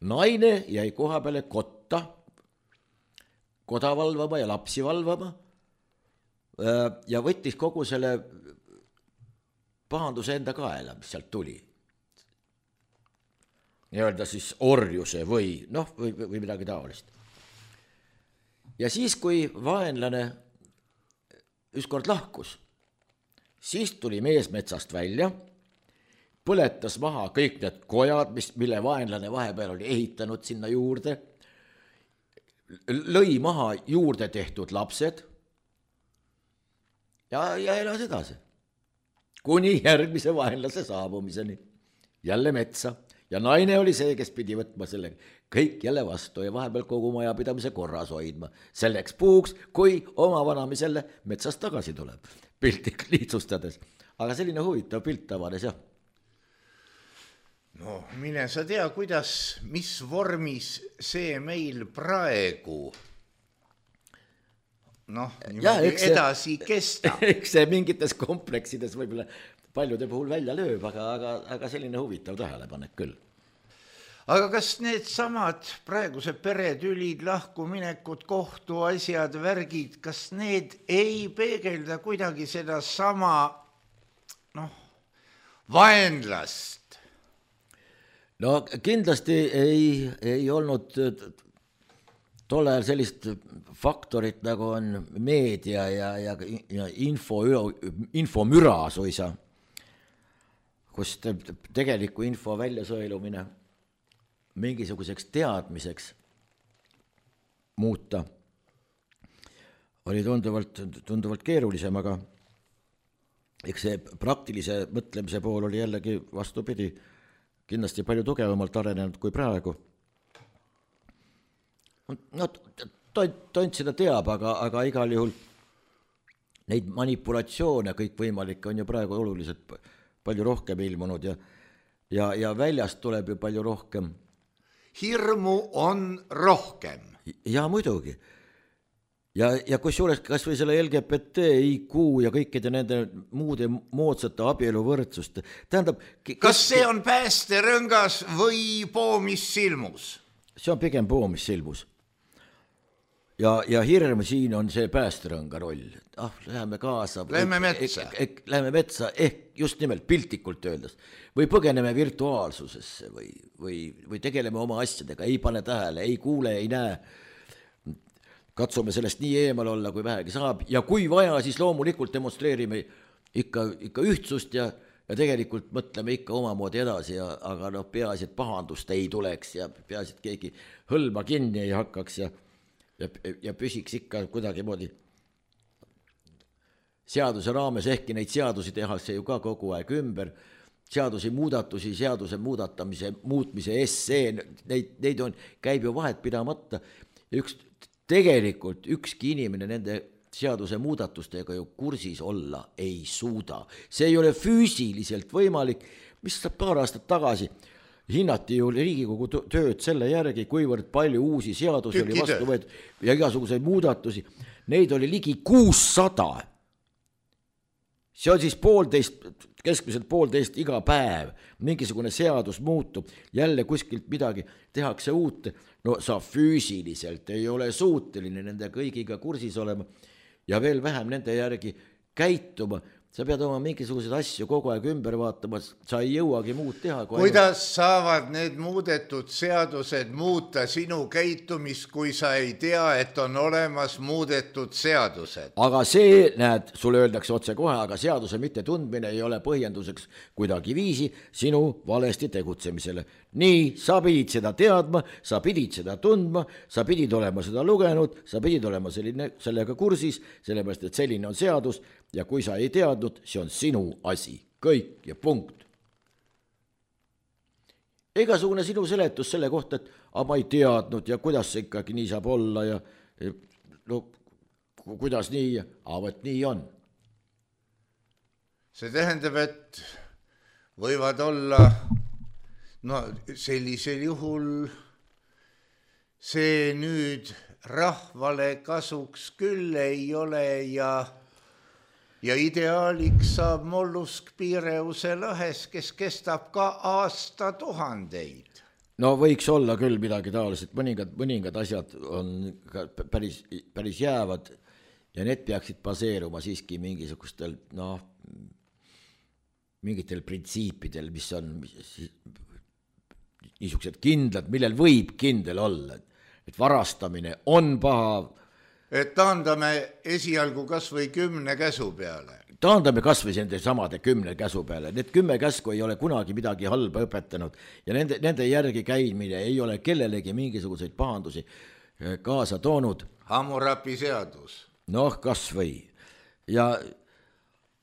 Naine jäi koha peale kotta, koda valvama ja lapsi valvama ja võttis kogu selle pahanduse enda kaela, mis sealt tuli. Nii-öelda siis orjuse või, noh, või, või midagi taolist. Ja siis, kui vaenlane ükskord lahkus, siis tuli mees metsast välja, põletas maha kõik need kojad, mis, mille vaenlane vahepeal oli ehitanud sinna juurde, lõi maha juurde tehtud lapsed ja, ja elas edasi. Kuni järgmise vaenlase saabumiseni. Jälle metsa. Ja naine oli see, kes pidi võtma selle kõik jälle vastu ja vahepeal kogu majapidamise korras hoidma. Selleks puhuks, kui oma vanami selle metsast tagasi tuleb. Piltik lihtsustades. Aga selline huvitav pilt tavanes, jah. No, mine sa tea, kuidas, mis vormis see meil praegu noh, niimoodi edasi kestab. Eks see mingites kompleksides võib-olla paljude puhul välja lööb, aga, aga, aga selline huvitav tähelepanek küll. Aga kas need samad praeguse peretülid, lahkuminekud, kohtuasjad, värgid, kas need ei peegelda kuidagi seda sama noh, vaenlast? No kindlasti ei, ei olnud tol ajal sellist faktorit, nagu on meedia ja, ja, ja info, infomüra suisa, kus tegeliku info väljasõelumine mingisuguseks teadmiseks muuta oli tunduvalt, tunduvalt keerulisem, aga eks see praktilise mõtlemise pool oli jällegi vastupidi kindlasti palju tugevamalt arenenud kui praegu. No, tont seda teab, aga, aga igal juhul neid manipulatsioone kõik võimalik on ju praegu oluliselt palju rohkem ilmunud ja, ja, ja väljast tuleb ju palju rohkem. Hirmu on rohkem. Ja muidugi. Ja, ja kus juures kas või selle L G B T I Q ja kõikide nende muude moodsate abieluvõrdsust. Tähendab, kes... Kas see on päästerõngas või poomis silmus? See on pigem poomis silmus. ja, ja hirm siin on see päästerõnga roll. Ah, läheme kaasa. Lähme metsa. Eh, eh, lähme metsa, ehk just nimelt piltlikult öeldes. Või põgeneme virtuaalsusesse või, või, või tegeleme oma asjadega, ei pane tähele, ei kuule, ei näe. Katsume sellest nii eemal olla, kui vähegi saab. Ja kui vaja, siis loomulikult demonstreerime ikka, ikka ühtsust ja, ja tegelikult mõtleme ikka omamoodi edasi, ja, aga noh, peaasi, et pahandust ei tuleks ja peaasi, et keegi hõlma kinni ei hakkaks ja, ja, ja püsiks ikka kuidagi moodi seaduse raames, ehkki neid seadusi tehakse ju ka kogu aeg ümber, seadusi muudatusi, seaduse muudatamise, muutmise essee, neid, neid on, käib ju vahet pidamata ja üks, tegelikult ükski inimene nende seaduse muudatustega ju kursis olla ei suuda. See ei ole füüsiliselt võimalik, mis saab paar aastat tagasi hinnati ju Riigikogu tööd selle järgi, kuivõrd palju uusi seadusi oli vastu võetud ja igasuguseid muudatusi. Neid oli ligi kuussada. See on siis poolteist, keskmiselt poolteist iga päev. Mingisugune seadus muutub, jälle kuskilt midagi tehakse uut. No sa füüsiliselt ei ole suuteline nende kõigiga kursis olema ja veel vähem nende järgi käituma. Sa pead oma mingisuguseid asju kogu aeg ümber vaatama, sa ei jõuagi muud teha. Kuidas ainult... saavad need muudetud seadused muuta sinu käitumist, kui sa ei tea, et on olemas muudetud seadused? Aga see, näed, sulle öeldakse otse kohe, aga seaduse mitte tundmine ei ole põhjenduseks kuidagi viisi sinu valesti tegutsemisele. Nii, sa pidid seda teadma, sa pidid seda tundma, sa pidid olema seda lugenud, sa pidid olema selline, sellega kursis, sellepärast, et selline on seadus ja kui sa ei teadnud, see on sinu asi, kõik ja punkt. Igasugune sinu seletus selle kohta, et aga ma ei teadnud ja kuidas see ikkagi nii saab olla ja no kuidas nii, aga võt nii on. See tähendab, et võivad olla, no sellisel juhul see nüüd rahvale kasuks küll ei ole ja Ja ideaaliks saab mollusk Piireuse lõhes, kes kestab ka aasta tuhandeid. No võiks olla küll midagi taoliselt, mõningad, mõningad asjad on päris, päris jäävad ja need peaksid baseeruma siiski mingisugustel, noh, mingitel printsiipidel, mis on niisugused kindlad, millel võib kindel olla, et varastamine on paha. Et taandame esialgu kas või kümne käsu peale. Taandame kas või nende samade kümne käsu peale. Need kümme käsku ei ole kunagi midagi halba õpetanud ja nende, nende järgi käimine ei ole kellelegi mingisuguseid pahandusi kaasa toonud. Hammurapi seadus. Noh, kas või. Ja,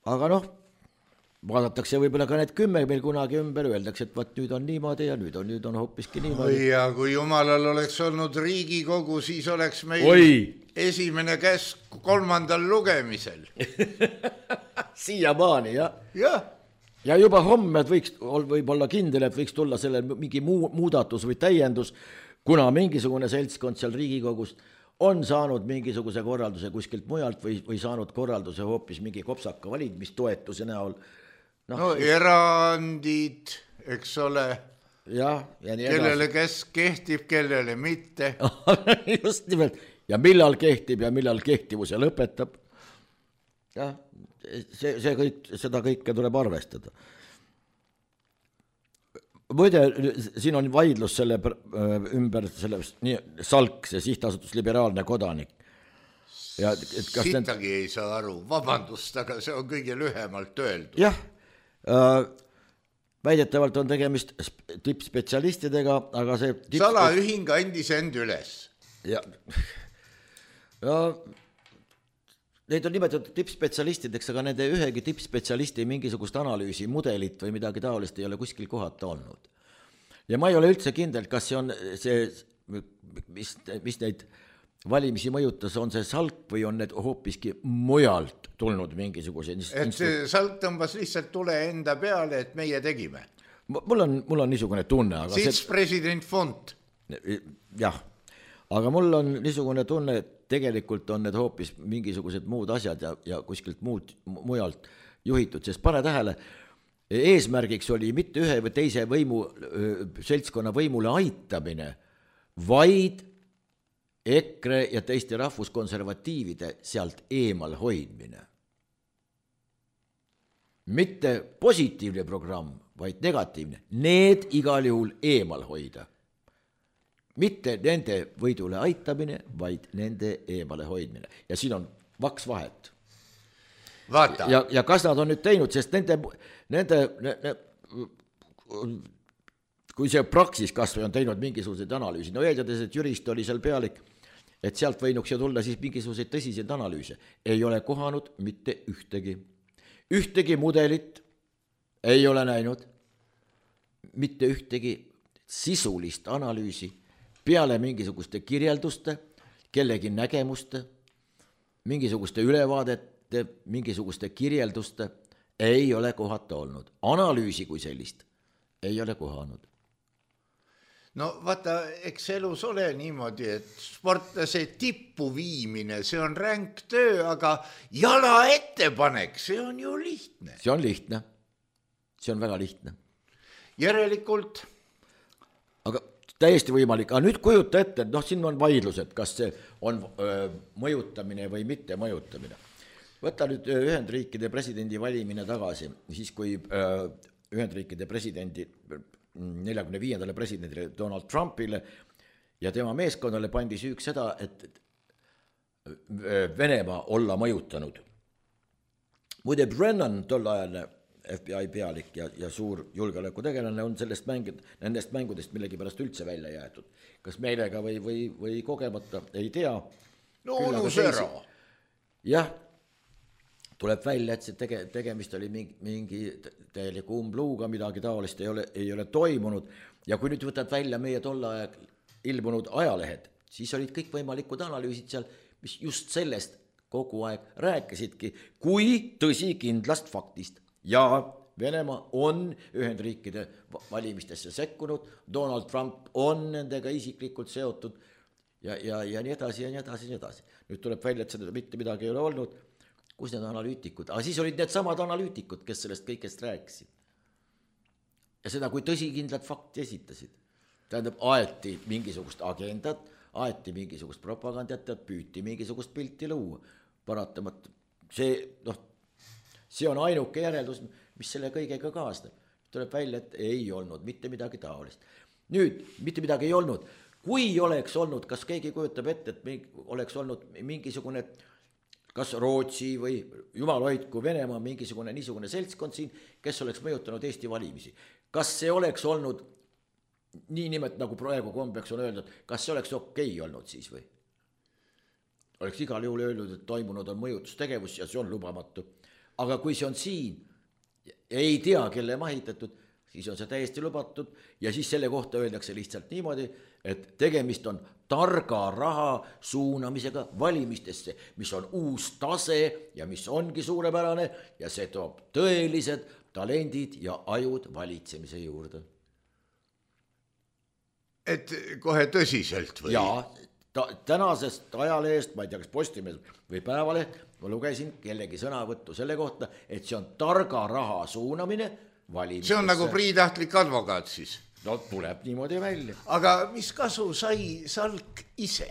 aga noh, vaadatakse võib-olla ka need kümme meil kunagi ümber, öeldakse, et vaat nüüd on niimoodi ja nüüd on, nüüd on hoopiski niimoodi. Ja kui jumalal oleks olnud Riigikogu, siis oleks meil Oi. esimene käsk kolmandal lugemisel. Siiamaani, jah. Ja. ja juba homme võiks võib olla kindel, et võiks tulla selle mingi muu, muudatus või täiendus, kuna mingisugune seltskond seal Riigikogus on saanud mingisuguse korralduse kuskilt mujalt või, või saanud korralduse hoopis mingi kopsaka valimistoetuse näol. No, no erandid, eks ole, ja, ja nii kellele kes kehtib, kellele mitte. Just nimelt, ja millal kehtib ja millal kehtivuse lõpetab. Ja, see, see kõik, seda kõike tuleb arvestada. Muide, siin on vaidlus selle ümber, selle nii, Salk, see sihtasutus liberaalne kodanik. Ja, et kas Sittagi need... ei saa aru, vabandust, aga see on kõige lühemalt öeldud. Jah, äh, väidetavalt on tegemist tippspetsialistidega, aga see... Tips... Salaühing andis end üles. Ja, ja neid on nimetatud tippspetsialistideks, aga nende ühegi tippspetsialisti mingisugust analüüsi, mudelit või midagi taolist ei ole kuskil kohata olnud. Ja ma ei ole üldse kindel, kas see on see, mis, mis neid valimisi mõjutas, on see Salk või on need hoopiski mujalt tulnud mingisuguse... Et see Salk tõmbas lihtsalt tule enda peale, et meie tegime. Mul on, mul on niisugune tunne, aga... Sits see... president Font. Jah, aga mul on niisugune tunne, et tegelikult on need hoopis mingisugused muud asjad ja, ja kuskilt muud, mujalt juhitud, sest pane tähele, eesmärgiks oli mitte ühe või teise võimu, seltskonna võimule aitamine, vaid EKRE ja teiste rahvuskonservatiivide sealt eemal hoidmine. Mitte positiivne programm, vaid negatiivne. Need igal juhul eemal hoida. Mitte nende võidule aitamine, vaid nende eemale hoidmine. Ja siin on vaks vahet. Vaata. Ja, ja kas nad on nüüd teinud, sest nende, nende ne, ne, kui see Praxis kas või on teinud mingisuguseid analüüsi, no eeldades, et jurist oli seal pealik, et sealt võinuks ju tulla siis mingisuguseid tõsiseid analüüse, ei ole kohanud mitte ühtegi. Ühtegi mudelit ei ole näinud, mitte ühtegi sisulist analüüsi peale mingisuguste kirjelduste, kellegi nägemuste, mingisuguste ülevaadete, mingisuguste kirjelduste ei ole kohata olnud. Analüüsi kui sellist ei ole kohanud. No vaata, eks elus ole niimoodi, et sportlase tippu viimine, see on ränk töö, aga jala ettepanek, see on ju lihtne. See on lihtne. See on väga lihtne. Järelikult. Aga täiesti võimalik. Aga nüüd kujuta ette, et noh, siin on vaidlused, kas see on öö, mõjutamine või mitte mõjutamine. Võta nüüd Ühendriikide presidendi valimine tagasi, siis kui öö, Ühendriikide presidendi neljakümne viiendale presidendile Donald Trumpile ja tema meeskonnale pandi süüks seda, et Venemaa olla mõjutanud. Muide, Brennan, tol ajal F B I pealik ja, ja suur julgeolekutegelane on sellest mängid, nendest mängudest millegi pärast üldse välja jäetud. Kas meelega või, või, või kogemata, ei tea. No unus ära. Jah. Tuleb välja, et see tege, tegemist oli mingi, mingi täieliku umbluuga, midagi taolist ei ole, ei ole toimunud. Ja kui nüüd võtad välja meie tolle aeg ilmunud ajalehed, siis olid kõik võimalikud analüüsid seal, mis just sellest kogu aeg rääkisidki, kui tõsi kindlast faktist. Ja Venemaa on Ühendriikide valimistesse sekkunud, Donald Trump on nendega isiklikult seotud ja, ja, ja nii edasi ja nii edasi ja nii edasi. Nüüd tuleb välja, et seda mitte midagi ei ole olnud. Kus need analüütikud? Aga siis olid need samad analüütikud, kes sellest kõigest rääkisid. Ja seda, kui tõsikindlad fakti esitasid. Tähendab, aeti mingisugust agendat, aeti mingisugust propagandat ja püüti mingisugust pilti luua. Paratamat, see, noh, see on ainuke järeldus, mis selle kõigega kaasneb. Tuleb välja, et ei olnud mitte midagi taolist. Nüüd, mitte midagi ei olnud. Kui oleks olnud, kas keegi kujutab ette, et oleks olnud mingisugune kas Rootsi või jumal hoidku Venemaa mingisugune niisugune seltskond siin, kes oleks mõjutanud Eesti valimisi. Kas see oleks olnud nii nimet nagu praegu kombeks on öeldud, kas see oleks okei olnud siis või? Oleks igal juhul öeldud, et toimunud on mõjutustegevus ja see on lubamatu. Aga kui see on siin, ei tea, kelle mahitatud, siis on see täiesti lubatud ja siis selle kohta öeldakse lihtsalt niimoodi, et tegemist on targa raha suunamisega valimistesse, mis on uus tase ja mis ongi suurepärane ja see toob tõelised talendid ja ajud valitsemise juurde. Et kohe tõsiselt või? Ja ta, tänasest ajalehest, ma ei tea, kas Postimees või Päevaleht, ma lugesin kellegi sõnavõttu selle kohta, et see on targa raha suunamine valimistesse. See on nagu priitahtlik advokaat siis. No tuleb niimoodi välja. Aga mis kasu sai Salk ise?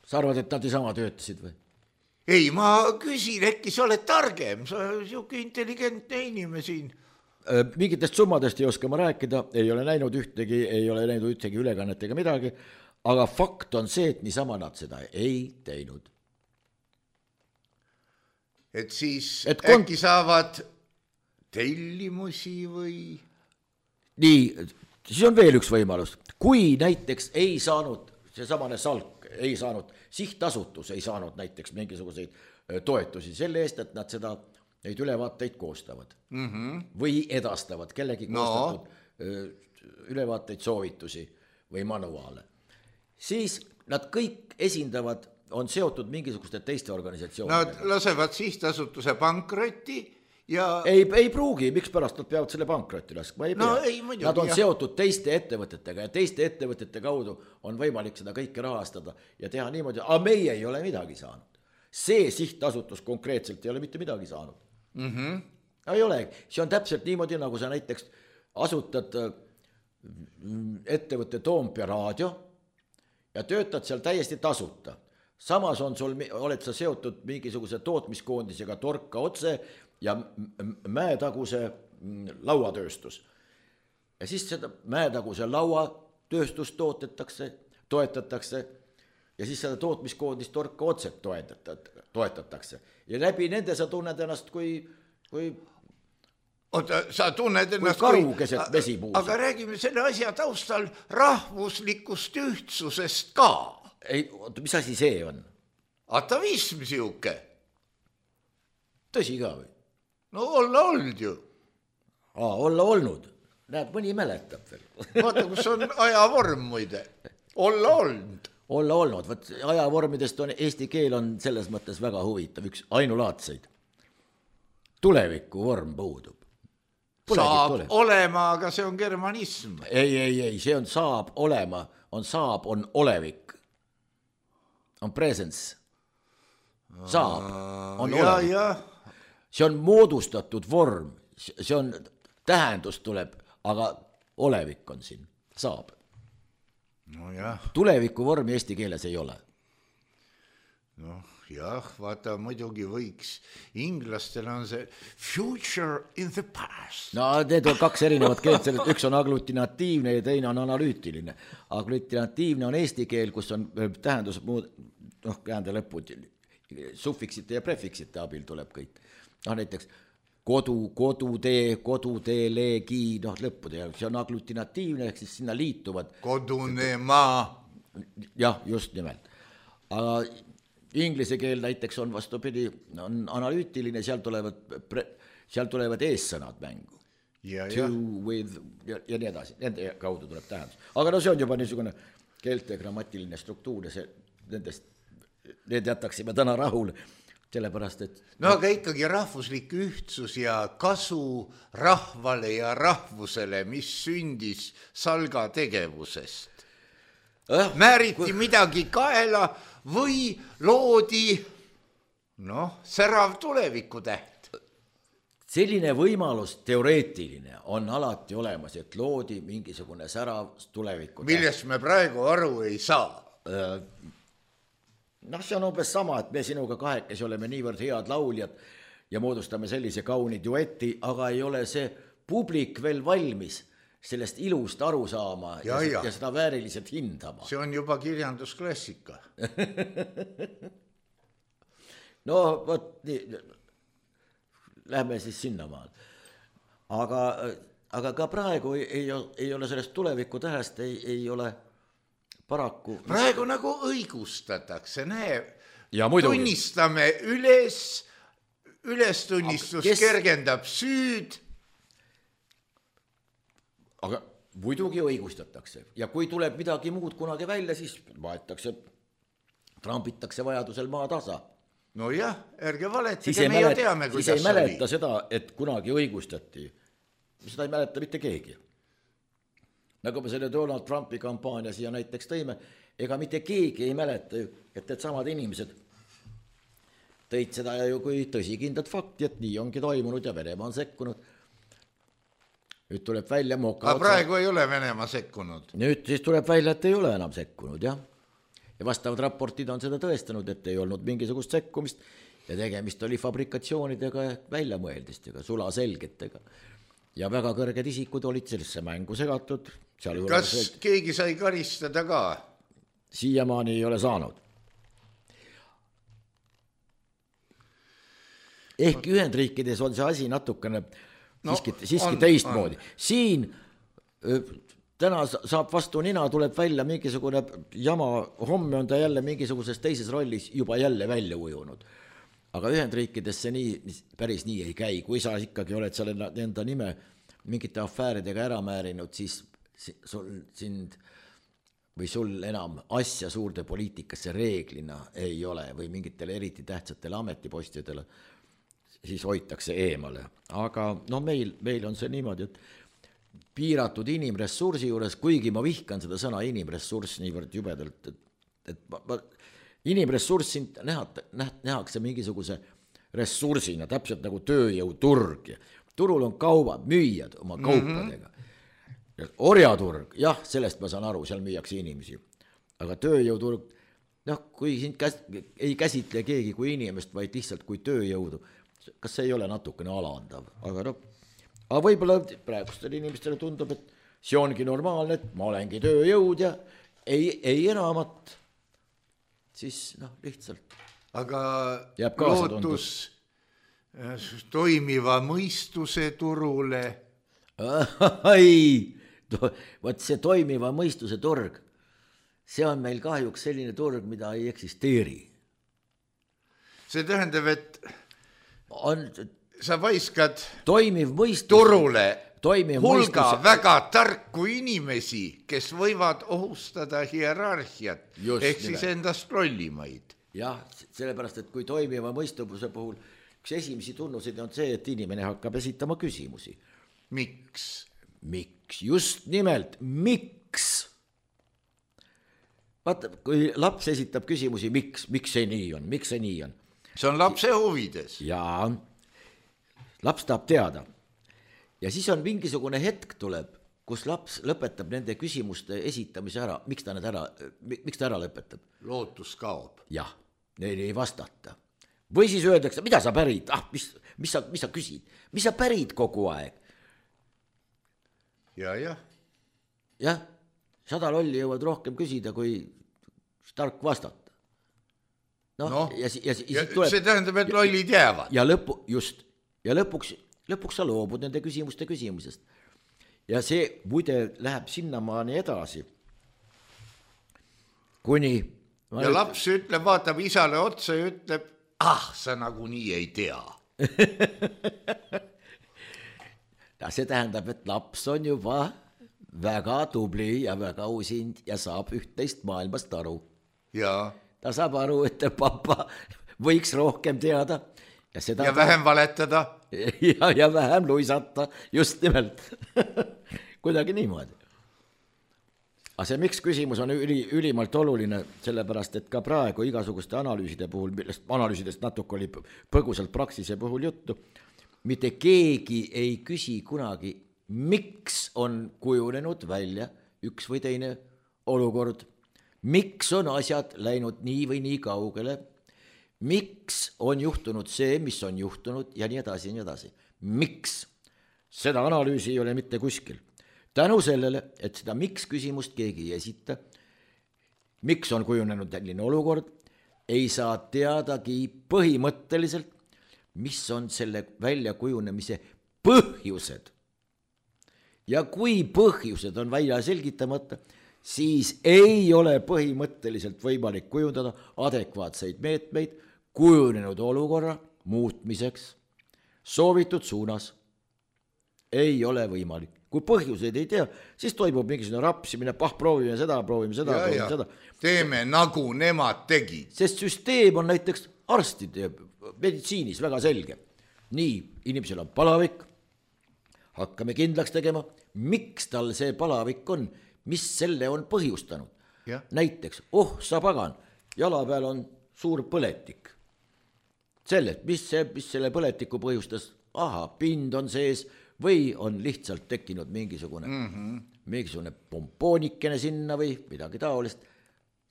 Sa arvad, et nad ei sama töötasid või? Ei, ma küsin, äkki sa oled targem, sa siuke intelligentne inimene siin. Mingitest summadest ei oska ma rääkida, ei ole näinud ühtegi, ei ole näinud ühtegi ülekannet ega midagi, aga fakt on see, et niisama nad seda ei teinud. Et siis et kon... äkki saavad tellimusi või... Nii, siis on veel üks võimalus. Kui näiteks ei saanud, see samane Salk ei saanud, sihtasutus ei saanud näiteks mingisuguseid toetusi selle eest, et nad seda, neid ülevaateid koostavad. Mm-hmm. Või edastavad kellegi koostatud no. ülevaateid, soovitusi või manuaale. Siis nad kõik esindavad, on seotud mingisuguste teiste organisatsioonidega. Nad lasevad sihtasutuse pankrotti. Ja... Ei, ei pruugi, miks pärast nad peavad selle pankrotti laskma, ei pea. No, ei, muidugi, nad on jah. seotud teiste ettevõtetega ja teiste ettevõtete kaudu on võimalik seda kõike rahastada ja teha niimoodi, aga meie ei ole midagi saanud. See sihtasutus konkreetselt ei ole mitte midagi saanud. Mm-hmm. Ei ole, see on täpselt niimoodi, nagu sa näiteks asutad ettevõtte Toompea raadio ja töötad seal täiesti tasuta. Samas on sul, oled sa seotud mingisuguse tootmiskoondisega Torka otse ja Mäetaguse lauatööstus. Ja siis seda Mäetaguse lauatööstust tootetakse, toetatakse ja siis seda tootmiskoondist Torka otse toetatakse. Ja läbi nende sa tunned ennast kui, kui oota, sa tunned ennast kui karu keset vesipuusa. Aga räägime selle asja taustal rahvuslikust ühtsusest ka. Ei, oota, mis asi see on? Atavism siuke. Tõsi ka või? No olla olnud ju. Aa, olla olnud. Näeb, mõni mäletab veel. Vaata, kus on ajavorm muide. Olla olnud. Olla olnud. Võt, ajavormidest on, eesti keel on selles mõttes väga huvitav. Üks ainulaadseid. Tuleviku vorm puudub. Polegi saab tulev. olema, aga see on germanism. Ei, ei, ei, see on saab olema. On saab, on olevik. On presence. Saab, on ja, olevik. Ja. See on moodustatud vorm. See on, tähendus tuleb, aga olevik on siin. Saab. No jah. Tuleviku vormi eesti keeles ei ole. Noh, jah, vaata, muidugi võiks. Inglastel on see future in the past. No need on kaks erinevat keelt, üks on aglutinatiivne ja teine on analüütiline. Aglutinatiivne on eesti keel, kus on tähendus muud, noh, käände lõpud, suffiksite ja prefiksite abil tuleb kõik. No näiteks kodu, kodutee, kodutee, leegi, noh lõppude, see on aglutinatiivne, ehk siis sinna liituvad. Kodune maa. Jah, just nimelt. Aga inglise keel näiteks on vastupidi, on analüütiline, seal tulevad, seal tulevad eessõnad mängu. Ja, to, ja. with ja, ja nii edasi, nende kaudu tuleb tähendus. Aga no see on juba niisugune keelte grammatiline struktuur ja see, nendest, need jätaksime täna rahul, sellepärast, et... No aga ikkagi rahvuslik ühtsus ja kasu rahvale ja rahvusele, mis sündis salga tegevusest. Äh, Määriti kui... midagi kaela või loodi, noh, särav tuleviku täht. Selline võimalus teoreetiline on alati olemas, et loodi mingisugune särav tuleviku täht. Millest me praegu aru ei saa. Äh, noh, see on umbes sama, et me sinuga kahekesi oleme niivõrd head lauljad ja moodustame sellise kauni dueti, aga ei ole see publik veel valmis sellest ilust aru saama ja, ja, ja seda vääriliselt hindama. See on juba kirjandusklassika. No, võt, nii, lähme siis sinnamaal. Aga, aga ka praegu ei, ei, ei ole sellest tuleviku tähest, ei, ei ole paraku... Praegu nagu õigustatakse, näe, ja tunnistame üles, ülestunnistus kes... kergendab süüd. Aga muidugi õigustatakse ja kui tuleb midagi muud kunagi välja, siis vaetakse, trampitakse vajadusel maa tasa. No jah, ärge valetage, me ju teame, kuidas siis ei mäleta oli. Seda, et kunagi õigustati. Seda ei mäleta mitte keegi. Nagu me selle Donald Trumpi kampaania siia näiteks tõime, ega mitte keegi ei mäleta, et need samad inimesed tõid seda ju kui tõsikindlat fakti, et nii ongi toimunud ja Venemaa on sekkunud. Nüüd tuleb välja moka. Aga praegu ei ole Venemaa sekkunud. Nüüd siis tuleb välja, et ei ole enam sekkunud, jah. Ja vastavad raportid on seda tõestanud, et ei olnud mingisugust sekkumist ja tegemist oli fabrikatsioonidega, väljamõeldistega, sulaselgetega. Ja väga kõrged isikud olid sellesse mängu segatud. Kas see... keegi sai karistada ka? Siiamaani ei ole saanud. Ehk Ühendriikides on see asi natukene no, siiski, siiski on, teistmoodi. On. Siin täna saab vastu nina, tuleb välja mingisugune jama, homme on ta jälle mingisuguses teises rollis juba jälle välja ujunud. Aga Ühendriikides see nii, päris nii ei käi. Kui sa ikkagi oled seal enda nime mingite afääridega ära määrinud, siis sul, sind või sul enam asja suurde poliitikasse reeglina ei ole või mingitele eriti tähtsatele ametipostidele, siis hoitakse eemale. Aga no meil, meil on see niimoodi, et piiratud inimressursi juures, kuigi ma vihkan seda sõna inimressurss niivõrd jubedalt, et, et ma, ma, inimressurssi näha, nähakse mingisuguse ressursina, täpselt nagu tööjõuturg. Turul on kaubad, müüjad oma kaupadega. Mm-hmm. Orjaturg, jah, sellest ma saan aru, seal müüakse inimesi. aga tööjõuturg, noh, kui sind käs, ei käsitle keegi kui inimest, vaid lihtsalt kui tööjõudu, kas see ei ole natukene alandav, aga noh, aga võib-olla praegustele inimestele tundub, et see ongi normaalne, et ma olengi tööjõud ja ei, ei enamat, siis noh, lihtsalt. Aga jääb kaasa lootus toimiva mõistuse turule. Ai, võt see toimiva mõistuse turg, see on meil kahjuks selline turg, mida ei eksisteeri. See tähendab, et on, sa vaiskad toimiv mõistus, turule toimiv hulga mõistus, väga tarku inimesi, kes võivad ohustada hierarhiat, Just ehk siis nimelt. endast lollimaid. jah, sellepärast, et kui toimiva mõistuse puhul üks esimesi tunnuseid on see, et inimene hakkab esitama küsimusi. Miks? Miks? Just nimelt, miks? Vaata, kui laps esitab küsimusi, miks, miks see nii on, miks see nii on? See on lapse huvides. Jaa, laps tahab teada. Ja siis on mingisugune hetk tuleb, kus laps lõpetab nende küsimuste esitamise ära. Miks ta need ära, miks ta ära lõpetab? Lootus kaob. Jah, neil ei vastata. Või siis öeldakse, mida sa pärid? Ah, mis, mis, sa, mis sa küsid? Mis sa pärid kogu aeg? Ja, jah. Jah, sada lolli jõuad rohkem küsida, kui tark vastata. Noh, no, ja, ja, ja, ja tuleb, see tähendab, et lollid jäävad. Ja, lõpu, just, ja lõpuks, lõpuks sa loobud nende küsimuste küsimusest. Ja see muide läheb sinnamaani edasi, kuni... Ja üt... laps ütleb, vaatab isale otsa ja ütleb, ah, sa nagu nii ei tea. Ja see tähendab, et laps on juba väga tubli ja väga usind ja saab üht-teist maailmast aru. Ja. Ta saab aru, et papa võiks rohkem teada. Ja, seda ja vähem ta... valetada. Ja, ja vähem luisata, just nimelt. Kuidagi niimoodi. Aga see miks küsimus on üli, ülimalt oluline, sellepärast, et ka praegu igasuguste analüüside puhul, millest analüüsidest natuke oli põgusalt praksise puhul juttu, mitte keegi ei küsi kunagi, miks on kujunenud välja üks või teine olukord, miks on asjad läinud nii või nii kaugele, miks on juhtunud see, mis on juhtunud ja nii edasi ja nii edasi. Miks? Seda analüüsi ei ole mitte kuskil. Tänu sellele, et seda miks küsimust keegi ei esita, miks on kujunenud selline olukord, ei saa teadagi põhimõtteliselt, mis on selle väljakujunemise põhjused. Ja kui põhjused on välja selgitamata, siis ei ole põhimõtteliselt võimalik kujundada adekvaatseid meetmeid kujunenud olukorra muutmiseks. Soovitud suunas ei ole võimalik. Kui põhjuseid ei tea, siis toimub mingisugune rapsimine, pah, proovime seda, proovime seda, ja, proovime ja. seda. Teeme nagu nemad tegid. Sest süsteem on näiteks arstide meditsiinis väga selge. Nii, inimesel on palavik, hakkame kindlaks tegema, miks tal see palavik on, mis selle on põhjustanud. Ja. Näiteks, oh, sa pagan, jala peal on suur põletik. Selle, mis, see, mis selle põletiku põhjustas, aha, pind on sees, või on lihtsalt tekkinud mingisugune, mm-hmm. mingisugune pompoonikene sinna või midagi taolist.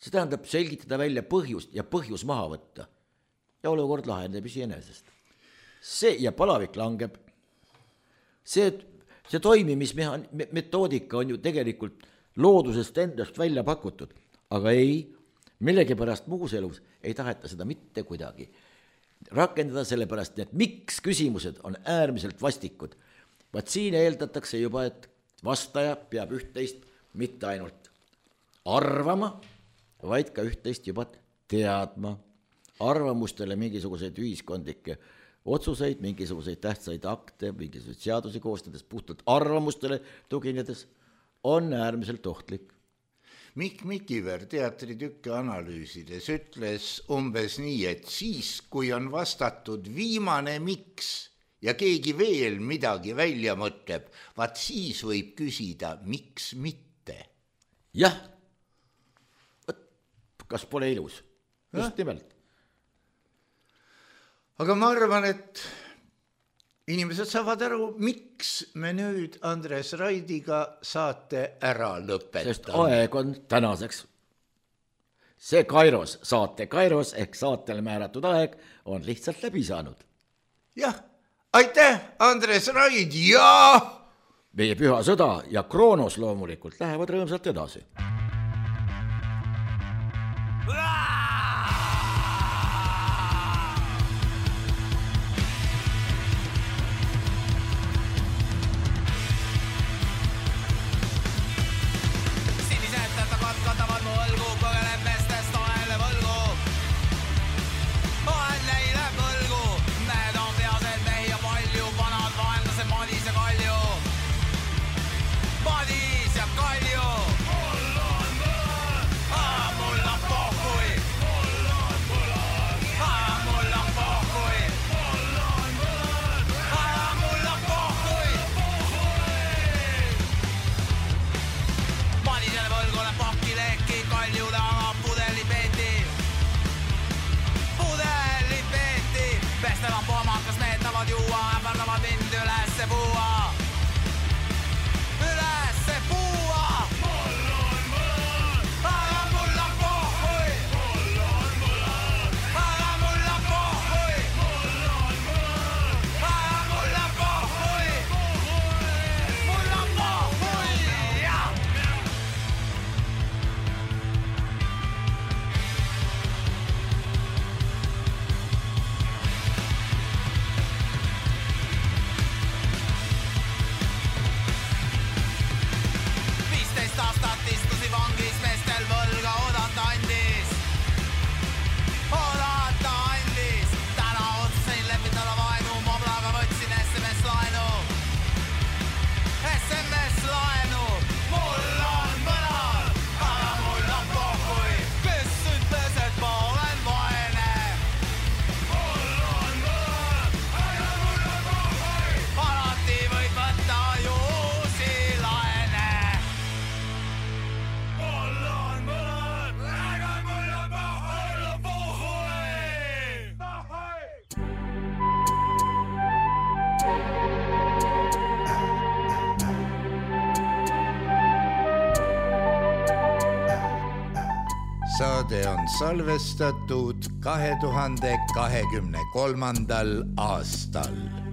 See tähendab selgitada välja põhjust ja põhjus maha võtta. Ja olukord lahendab iseenesest. See ja palavik langeb. See, see toimimismetoodika on ju tegelikult loodusest endast välja pakutud, aga ei, millegipärast muus elus ei taheta seda mitte kuidagi rakendada, sellepärast, et miks küsimused on äärmiselt vastikud. Vaat siin eeldatakse juba, et vastaja peab üht-teist mitte ainult arvama, vaid ka üht-teist juba teadma. Arvamustele mingisuguseid ühiskondlikke otsuseid, mingisuguseid tähtsaid akte, mingisuguseid seadusi koostades, puhtalt arvamustele tuginedes, on äärmiselt ohtlik. Mikk Mikiver teatritükke analüüsides ütles umbes nii, et siis, kui on vastatud viimane miks, ja keegi veel midagi välja mõtleb, vaat siis võib küsida, miks mitte. Jah, kas pole ilus? Just nimelt. Aga ma arvan, et inimesed saavad aru, miks me nüüd Andres Raidiga saate ära lõpetame. Sest aeg on tänaseks see Kairos, saate Kairos ehk saatele määratud aeg on lihtsalt läbi saanud. jah, aitäh, Andres Raid ja meie püha sõda ja Kroonos loomulikult lähevad rõõmsalt edasi. Saade on salvestatud kahe tuhande kahekümne kolmandal aastal.